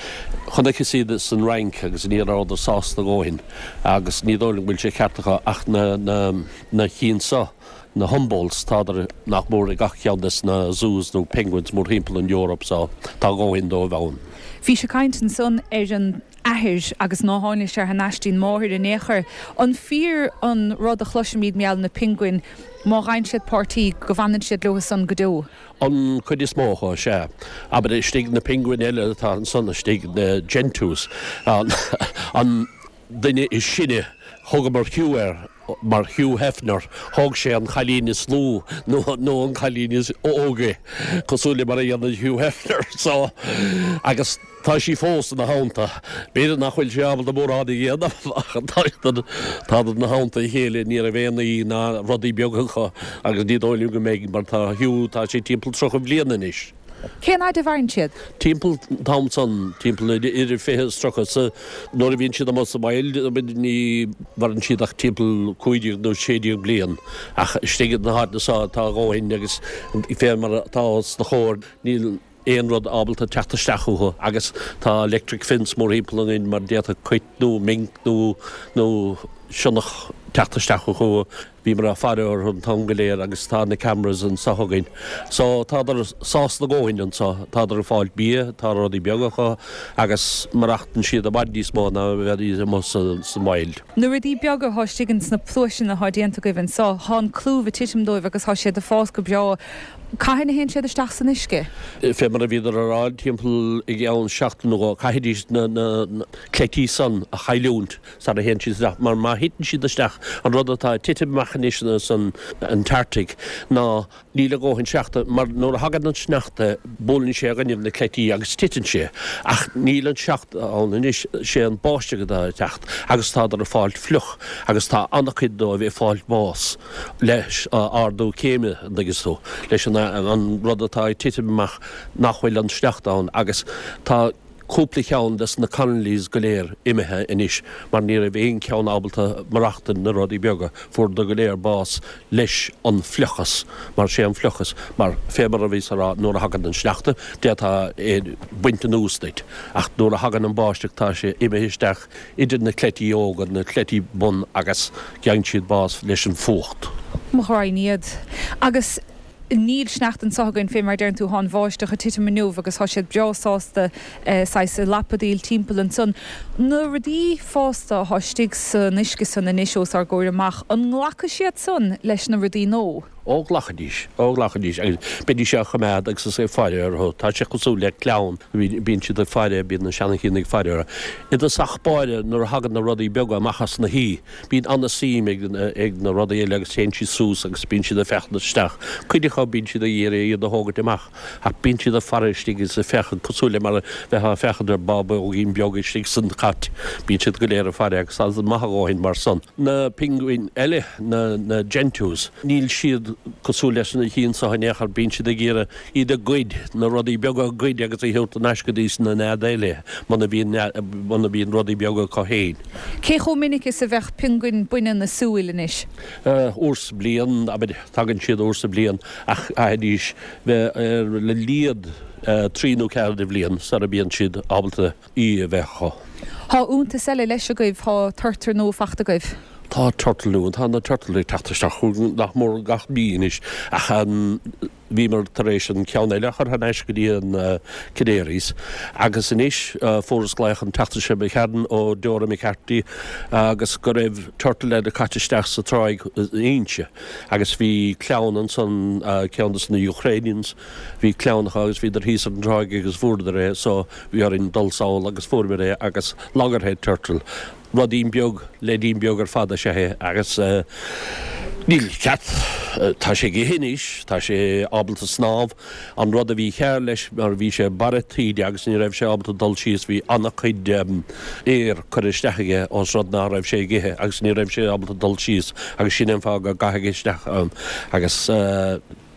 chonaiceas iad san Fhrainc agus ní rabhadar sásta a dhóthain agus ní dóigh liom go bhfuil sé ceart acu ach na na na chinn so, na Humboldts, tádar nach mór i gach ceann des na zoos nó penguins mórthimpeall an Eoraip so tá a dhóthain dóibh ann. Bhís ag caint ansan ar an. athair agus ná tháinig sé thar n-ais dtí'n máthair in aon chor. An fíor an rud a chloisimíd mar gheall na piongain, má fhaigheann siad páirtí, go bhfanann siad leo san go deo? An chuid is mó acu, sea. Abair istigh na piongain eile atá ansan istigh, na gentoos, an duine is sine, thugamar Hugh air, mar Hugh Hefner, thóg sé an cailín is lú nó nó an cailín is óige, cosúil le mar a dhéanann Hugh Hefner, so, agus tá sí fós ina theannta. B'fhéidir nach bhfuil sé ábalta mórán a dhéanamh ach tádar ina theannta a chéile, ní raibh aon aoi ná rudaí beaga acu agus ní dóigh liom go mbeidh mar tá Hugh, tá sé timpeall 30 bhliain anois. Cén fhaid a mhaireann siad? Timpeall an t-am san, timpeall idir 20 is 30, sa, nuair a bhíonn siad amuigh sa wild, ní mhaireann siad ach timpeall 15 nó 16 bliain, ach istigh na háiteanna so tá a dhóthain agus fé mar atá os do chomhair, níl aon rud ábalta teacht isteach chucu agus tá electric fence mórthimpeall againn mar d'fhéadfadh cait nó mink nó, nó sionnach teacht isteach chucu. Bhíomar ag faire orthu an t-am go léir agus tá na cameras anso againn. So tádar sásta a dhóthain anso, tádar ag fáilt bia, tá rudaí beaga acu agus maireachtann siad i bhfad níos mó ná a bheidís amuigh san wild. Na rudaí beaga athá istigh ins na pluaiseanna athá déanta agaibh anso, thá an clúmh ag titim dóibh agus thá siad ag fás go breá. Cathain a théann siad isteach san uisce? Fé mar a bhíodar a rá, timpeall i gceann seachtain nó dhó, caithfidís na cleití san a chailliúint. sara théann siad isteach, mar má thiteann siad isteach, an rud atá ag titim amach anois san Antarctic ná níl a dhóthain sneachta, mar nuair a thagann an sneachta buaileann sé i gcoinnibh na cleití agus titeann sé, ach níl an sneachta ann anois, sé an báisteach atá ag teacht agus tádar ag fáilt fliuch agus tá an-chuid dóibh ag fáilt bás leis ardú céime, an dtuigeanns tú, leis an rud atá ag titim amach nach bhfuil an sneachta ann agus tá. cúpla cheann des na colonies go léir imithe anois mar ní raibh aon cheann ábalta maireachtaint na rudaí beaga, fuaireadar go léir bás leis an fliuchas mar sé an fliuchas mar fé mar a bhíos a rá nuair a thagann an sneachta d'fhéadfá é baint anuas duit ach nuair a thagann an báisteach tá sé imithe isteach idir na cleití óga, na cleití bun agus gheibheann siad bás leis an fuacht. Mo ghraidhin iad. Agus. Níl sneachta anso againn, fé mar a deireann tú, thá an bháisteach ag titim inniu agus thá siad breá sásta saghas ag lapadaíl timpeall ansan. Na rudaí fásta athá istigh san uisce san anois os ár gcomhair amach, an nglacfaidh siad san leis na rudaí nó? Ó ghlacfaidís, ó ghlacfaidís agus beidís á choimeád agus is ag faire orthu. Tá sé cosúil le clann, bíonn siad ag faire, bíonn na seanachinn ag faire orthu. I dtosach báire nuair a thagann na rudaí beaga amach as na hí, Bíonn an-suim ag na rudaí eile agus téann siad suas agus bíonn siad ag féachaint isteach. Cuid acu bíonn siad ag iarraidh iad a thógaint amach ach bíonn siad ag faire istigh agus ag féachaint cosúil le mar a bheifeá ag féachaint ar bábóigín beag istigh san chat. Bíonn siad go léir ag faire agus tá siad maith a dhóthain mar san. Na pinguin eile, na gentoos, níl siad cosúil leis na cinn seo in aon chor, bíonn siad ag iarraidh iad a ghoid, na rudaí beaga a ghoid agus a thabhairt thar n-ais go dtí na neada eile muna mbíonn muna mbíonn rudaí beaga acu féin. Cé chomh minic is a bheadh piongain baineann ag súil anois? Uair sa bliain, abair, tagann siad uair sa bhliain ach caithfidís bheith ar a laghad trí nó ceathair de bhliain sara mbíonn siad ábalta aoi a bheith acu. Thá iontas eile leis agaibh, thá turtar nua fachta agaibh. Tá turtle nua, tá na turtle ag teacht isteach chugainn nach mór gach mí anois ach an, Bhíomar tar éis an ceann eile a chur thar n-ais go dtí an Canaries agus anois fuaireas glaoch an tseachtain seo imigh tharainn ó Dora McCarthy agus go raibh turtle eile caite isteach sa tráigh in Inse agus bhí clann ansan, ceann dos na Ukrainians, bhí clann acu agus bhíodar thíos ar an tráigh agus fuaireadar é so bhí orainn dul sall agus fuaireamar é agus loggerhead turtle. Ruidín beag, leaidín beag ar fad is ea é agus níl ceart, tá sé ag ithe anois, tá sé ábalta snámh. An rud a bhí cearr leis mar bhí sé barra taoide agus ní raibh sé ábalta dul síos, bhí an-chuid aer curtha isteach aige ós rud ná raibh sé ag ithe agus ní raibh sé ábalta dul síos agus sin an fáth go gcaitheadh isteach ann agus.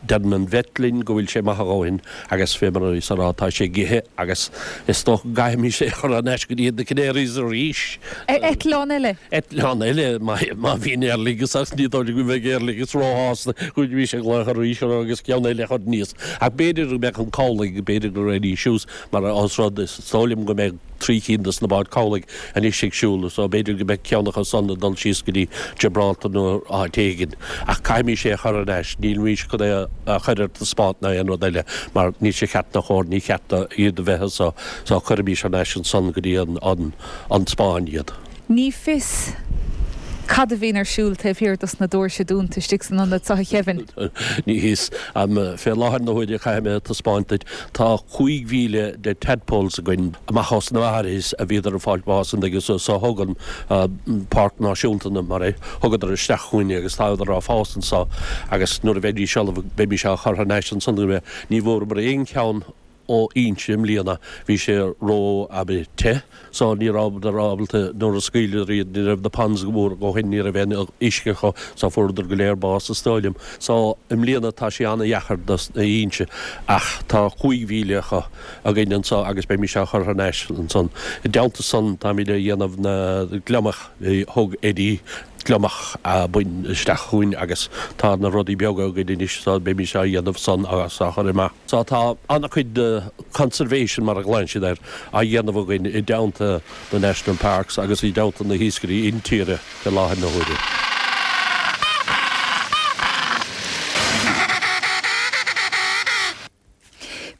Deireann an vet linn go bhfuil sé maith a dhóthain agus fé mar a bhíos a rá tá sé ag ithe agus is dócha go gcaithfimis é a chur thar n-ais go dtí na Canaries arís. Eitleán eile. Eitleán eile má bhíonn Aer Lingus ach ní dóigh liom go mbeidh Aer Lingus róshásta go bhfuil ag glaoch arís orthu agus ceann eile a chur aníos. Ach b'fhéidir go mbeadh an cabhlaigh, b'fhéidir go raghaidís suas mar ós rud is dóigh liom go mbeidh. 3 cinn dos na báid cabhlaigh anois ag siúl so b'fhéidir go mbeidh ceann acu san ag dul síos go dtí Gibraltar nó áit éigin. Ach caithfimís é a chur ar ais, nílimís chun é a chur ar taispeáint ná aon rud eile mar níl sé ceart ná chóir, ní cheart do iad a bheith anso so cuirfimís thar n-ais ansan go dtí an an Spáinn iad. Ní fios cad a bhíonn ar siúl taobh thiar dos na doirse dúnta istigh san ionad seo, a Kevin. Ní fios. Fé láthair na huaire, caithfidh mé a taispeáint duit, tá 5,000 de tadpoles againn amach os na Maharis a bhíodar ag fáilt bás an dtuigeann tú, so thug an Páirc Náisiúnta na mar é, thugadar isteach chugainn agus tádar á fás anso agus nuair a bheidís ullamh beimís á chur thar n-ais ansan Ní bhfuaireamar aon cheann ó Fhoinse i mbliana. Bhí sé ró abair te so ní rabhadar ábalta nuair a scaoileadar iad ní raibh na ponds go mór a dhóthain ní raibh aon uisce acu so fuaireadar go léir bás is dóigh liom. So i mbliana tá sé ana-dheachair dos na Fhoinse ach tá 5,000 acu againn anso agus beimís á chur thar n-ais ansan. I dteannta san táimid a dhéanamh na gliomach thug Eddie gliomach buinn isteach chugainn agus tá na rudaí beaga againn anois so beimís á dhéanamh san agus á chur amach. So tá an-chuid de conservation, mar a ghlaonn siad air, á dhéanamh againn i dteannta na National Parks agus i dteannta na hiascairí intíre i láthair na huaire.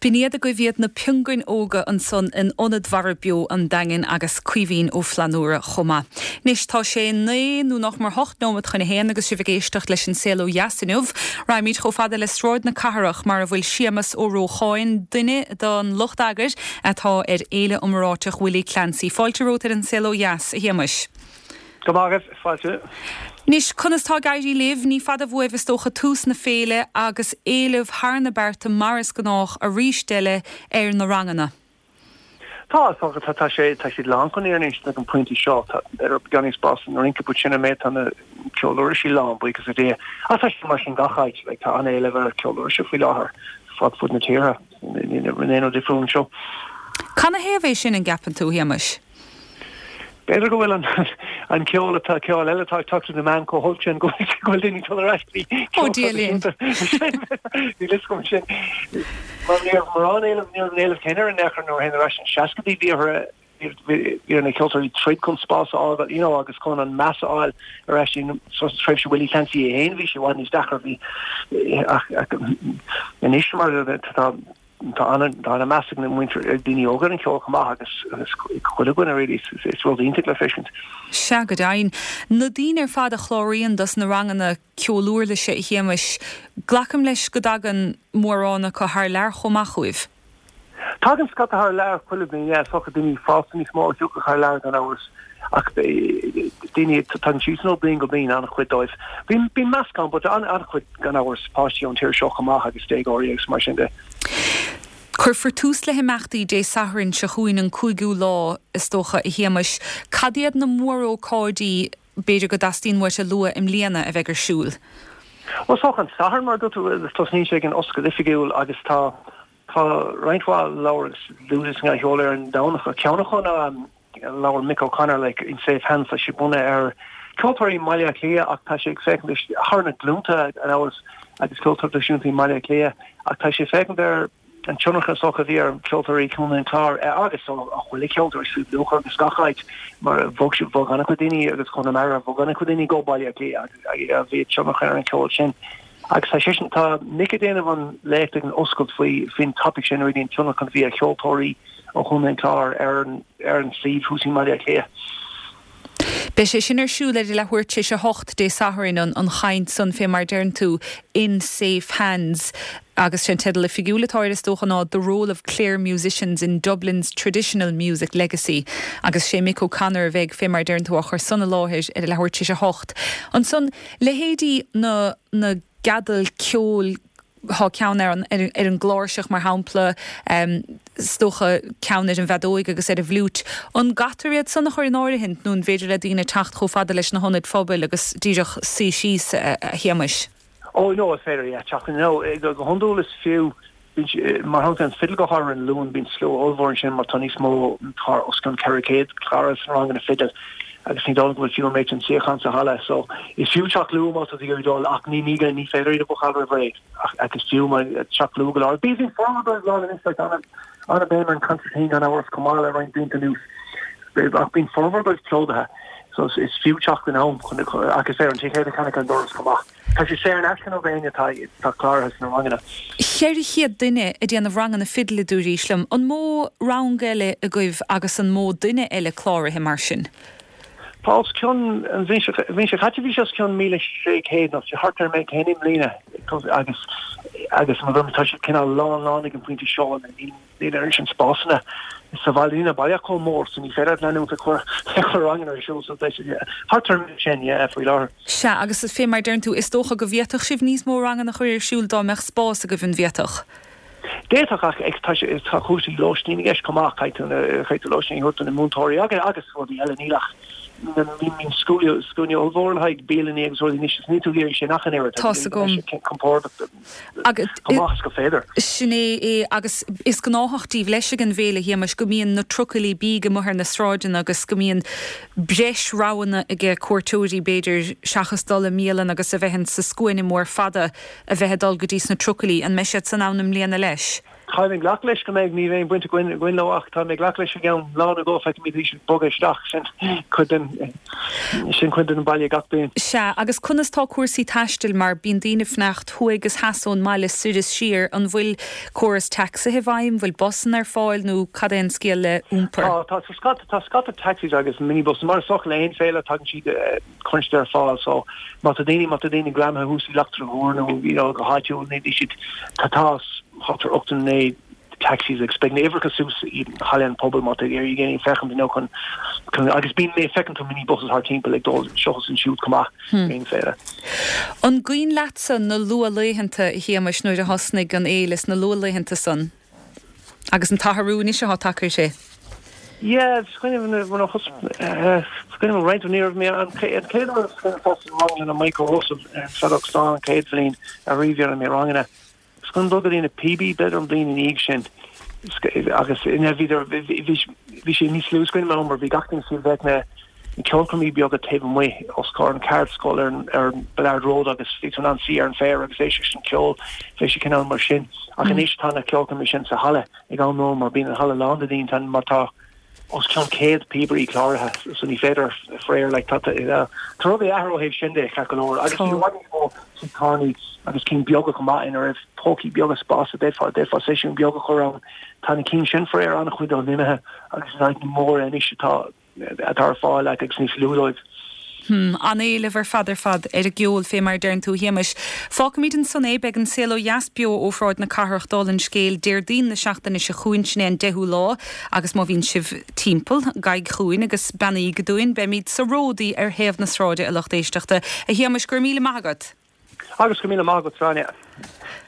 B'in iad agaibh iad na piongain óga ansan in Ionad Mhara Beo an Daingin agus Caoimhín Ó Flannúra chomh maith. Anois tá sé 9 nó nach mór 8 nóimeat chun a haon agus sibh ag éisteacht leis an Saol Ó Dheas inniu. Raghaimid chomh fada le Sráid na Cathrach mar a bhfuil Séamas Ó Rócháin, duine den lucht eagair atá ar Fhéile iomráiteach Willie Clancy. Fáilte romhat ar an Saol Ó Dheas, a Shéamais. Go maith agaibh, fáilte. Anois, conas tá ag éirí libh? Ní fada uaibh is dócha tús na féile agus éileamh thar na bearta mar is gnách arís eile ar na ranganna. Tá, is dócha, tá, tá sé, tá siad lán chun anois ag an pointe seo, tá b'fhéidir beagán níos spás san rince but sin an méid tá na ceoluirlisí lán, buíochas le Dia. Ach tá sé mar sin gach áit, like tá an-éileamh ar ceoluirlise faoi láthair fud fud na tíre, níl aon rud difriúil anseo. Canathaobh é sin, an gceapann tú, a Shéamais? B'fhéidir go bhfuil an an ceol atá ceol eile atá ag teacht trí na meáin chomh holc sin go bhfuil daoine ag dul ar ais go dtí Ó Dia linn. Níl fhios agam sin. Mar ní raibh mórán éileamh, ní raibh an éileamh céanna ar in aon chor nuair a théann ar ais sna seascaidí bhí orthu bhí ar na ceoltóirí troid chun spás a fháil you know agus chun an meas a fháil ar ais in sa tréimhse Willie Clancy é féin bhí sé i bhfad níos deacra bhí ach anois mar tá Tá an-mheas ag na muintir, ag daoine óga ar an cheol chomh maith agus agus chuile dhuine really, is rud iontach le feiscint. Sea, go deimhin. Na daoine ar fad a chláraíonn dos na ranganna ceoluirlise, a Shéamais, glacaim leis go dtagann mórán acu thar lear chomh maith chugaibh? Tagann scata thar lear chuile bhliain, yeah, is dócha daoine fásta níos mó a thiocfadh thar lear gan amhras ach daoine, tagann siadsan ó bliain go bliain, an-chuid dóibh. Bíonn meascán but an-chuid. gan amhras, páistí ón tír seo chomh maith agus déagóirí agus mar sin de. Cuirfear tús le himeachtaí Dé Sathairn seo chugainn, an cúigiú lá, is dócha, a Shéamais. Cad iad na mórócáidí, b'fhéidir, go dteastaíonn uait a lua i mbliana a bheidh ar siúl? Bhuel, is dócha an Satharn, mar a dúirt tú, tosnaíonn sé ag an oscailt oifigiúil agus tá tá roinnt mhaith leabhar agus luaite sa cheol ar an Domhnach. Ceann acu ná Labhair Mick O'Connor like In Safe Hands tá sé bunaithe ar ceoltóirí i mBaile Átha Cliath ach tá sé ag féachaint thar na glúnta ar fheabhas agus ceoltóirí traidisiúnta i mBaile Átha Cliath ach tá sé ag féachaint ar an tionchar is dócha a bhí ar cheoltóirí Chontae an Chláir agus ó chuile cheoltóir Sliabh Luachra agus gach áit mar bhog bhog an-chuid daoine agus Chonamara bhog an-chuid daoine go Baile Átha Cliath agus bhí tionchar ar an cheol sin. Agus tá seisean, tá Mick ag déanamh an léacht ag an oscailt faoi faoin topic sin really an tionchar a bhí ar cheoltóirí ó Chontae an Chláir ar an ar an suíomh thuas i mBaile Átha Cliath. Beidh sé sin ar siúl ar a leathuair tar éis a hocht Dé Sathairn, an an chaint san fé mar deireann tú, In Safe Hands, agus sé an teideal oifigiúil atá air is dócha ná The Role of Clare Musicians in Dublin's Traditional Music Legacy agus sé Mick O'Connor a bheidh fé mar deireann tú á chur san i láthair ar a leathuair tar éis a hocht. Ansan, leithéidí na na gceadal ceoil, thá ceann ar an ar an gcláirseach mar shampla, is dócha ceann ar an bhfeadóig agus ar an bhfliúit. An gcaitear iad san a chur in áirithint nó an bhféidir le daoine teacht chomh fada leis na hionaid phobail agus díreach suí síos, a Shéamais? Ó no, is féidir, yeah, teacht in. No, go hiondúil is fiú, bíonn, mar shampla an fidil go háirithe ar an Luan, bíonn slua ollmhór ansin mar tá níos mó, tá os cionn 400 cláraithe sna ranganna fidil. Agus ní dóigh liom go bhfuil fiú an méid sin suíochán sa halla. So is fiú teacht luath má tá tú ag iarraidh dul ach ní ní ní féidir iad a bhucáil roimh ré ach ach is fiú mar teacht luath go leor. Bíonn formhór dóibh lán anois like ana ana béim ar an concertina gan amhras chomh maith le roinnt blianta anuas. Ach bíonn formhór dóibh plódaithe so is is fiú teacht in am chun ach is féidir an ticéad a cheannach ar an doras chomh maith. Tá sé saor in aisce nó d'éinne atá atá cláraithe sna ranganna. 400 duine ag déanamh ranganna fidil a dúraís liom. An mó rang eile agaibh agus an mó duine eile cláraithe mar sin? Tá os cionn, an bhliain seo, an bhliain seo caite bhí sé os cionn 1,600 nó thart ar an méid céanna i mbliana agus agus mar a dúirt mé tá siad cineál lán lán ag an bpointe seo. Níl Níl an oiread sin spásanna sa bhaile, níl an baile chomh mór so ní féidir leat leanúint ag cur ag cur ranganna ar siúl so beidh sé thart ar an méid sin, yeah, faoi láthair. Sea, agus fé mar deireann tú, is dócha go bhféadfadh sibh níos mó ranganna a chur ar siúl dá mbeadh spás agaibh, an bhféadfadh? D'fhéadfadh ach ag tá sé tá cúrsaí lóistín i gceist chomh maith, caithfidh tú na caithfidh tú lóistín a thabhairt do na múinteoirí agus agus rudaí eile, níl ach bíonn scuaine ollmhór le haghaidh bialanna agus rudaí anois is níl tú ag iarraidh sin ach an oiread, Tá's agam. compordach. Chomh maith is gur féidir. Sin é é agus is gnáthach díbh leis ag an bhféile, a Shéamais, go mbíonn na trucailí bídh amuigh ar na sráideanna agus go mbíonn breis roghanna aige cuairteoirí, b'fhéidir, seachas dul i mbialann agus a bheith in sa scuaine mór fada a bheith ag dul go dtí sna trucailí. An mbeidh siad san ann i mbliana leis? Táim ag glacadh leis go mbeidh, níl aon bhaint againn againn leo ach táim ag glacadh leis i gceann lá nó dhó feicfimid iad ag bogadh isteach, sin cuid den, sin cuid den baile gach bliain. Sea, agus conas tá cúrsaí taistil mar bíonn daoine ag fanacht thuaidh is theas ón mbaile soir is siar, an bhfuil córas tacsaithe i bhfeidhm, bhfuil busanna ar fáil nó cad é an scéal le iompar? Tá, tá, tá scata, tá scata taxis agus minibuses, mar is dócha le haon féile tagann siad, cuireann siad ar fáil so má tá daoine má tá daoine greamaithe thuas i Leachtra Mhór nó you know go háitiúil ní ní siad tá tá thart ar 89 taxis agus beidh na uimhreacha suas i Halla an Phobail má tá ag iarraidh éinne féachaint you know chun chun agus bíonn mé feiceann tú minibuses thart timpeall ag dul seo is ansiúd chomh maith hmm. aon féile. An cuimhin leatsa na luathlaethanta a Shéamais nuair a thosnaigh an fhéile sna luathlaethanta san? Agus an t-athrú anois atá tagtha uirthi. Yeah, is cuimhin liom nuair a thos, is cuimhin liom roinnt, ní raibh mé, an chéad uair is cuimhin liom rang le Michael Russell ar an Feadóg Stáin an chéad bhliain ariamh a dhearna mé ranganna. Is cuimhin dul go dtí na Píobaí b'fhéidir an bhliain ina dhiaidh sin agus ina bhíodar, bhí sé níos lú is cuimhin liom mar bhí gach duine suí bheadh na ceolchoirmí beaga taobh amuigh os comhair an cheardscoil ar an ar an Ballard Road agus bhí tú in ann suí ar an bhféar agus éisteacht leis an ceol, bhí sé cineál mar sin. Ach anois tá na ceolchoirmí sin sa halla ag am lóin mar bíonn an halla lán de daoine tá mar tá os cionn 100 píobairí cláraithe so ní féidir faraor like tá tá tá rudaí ag athrú ó thaobh sin de ceart go leor agus bhí i bhfad níos mó tithe tábhairne agus cinn beaga chomh maith ina raibh pócaí beaga spás a d'fhéadfá d'fhéadfá seisiún beag a chur ann. Tá na cinn sin faraor an-chuid dóibh imithe agus is áiteanna móra anois atá atá ar fáil agus níos lú dóibh. Hmm, an-éileamh ar fad ar fad ar an gceol, fé mar a deireann tú, a Shéamais. Fágfaimid ansan é, beidh An Saol Ó Dheas beo ó Shráid na Cathrach, dála an scéil, Déardaoin na seachtaine seo chugainn, sin é an deichiú lá, agus má bhíonn sibh timpeall, gabhaigí chugainn agus beannaígí dúinn, beimid sa Ródaí ar thaobh na sráide, a lucht éisteachta. A Shéamais, go raibh míle maith agat! Agus go míle maith agat, Gráinne.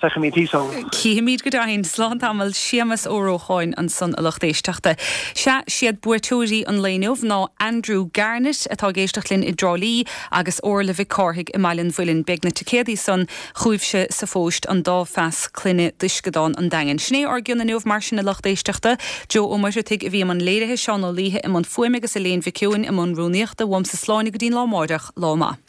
Feicfimid thíos ann. Cífimid go deimhin. Slán tamall. Séamas Ó Rócháin ansan, a lucht éisteachta. Sea, siad buaiteoirí an lae inniu ná Andrew Garnett, atá ag éisteacht linn i dTrá Lí, agus Orla Mhic Cárthaigh i mBaile an Mhuilinn. Beidh na ticéadaí san chugaibhse sa phóist an dá phas clainne d'Uisceadán an Daingin. Sin é ár gcion inniu mar sin, a lucht éisteachta. Joe Ó Muircheartaigh a bhí i mbun léirithe, Seán Ó Laoithe i mbun fuaime agus Elaine Mhic Eoin i mbun rúnaíochta. Uaimse slán go dtí'n lá amáireach. Lá maith.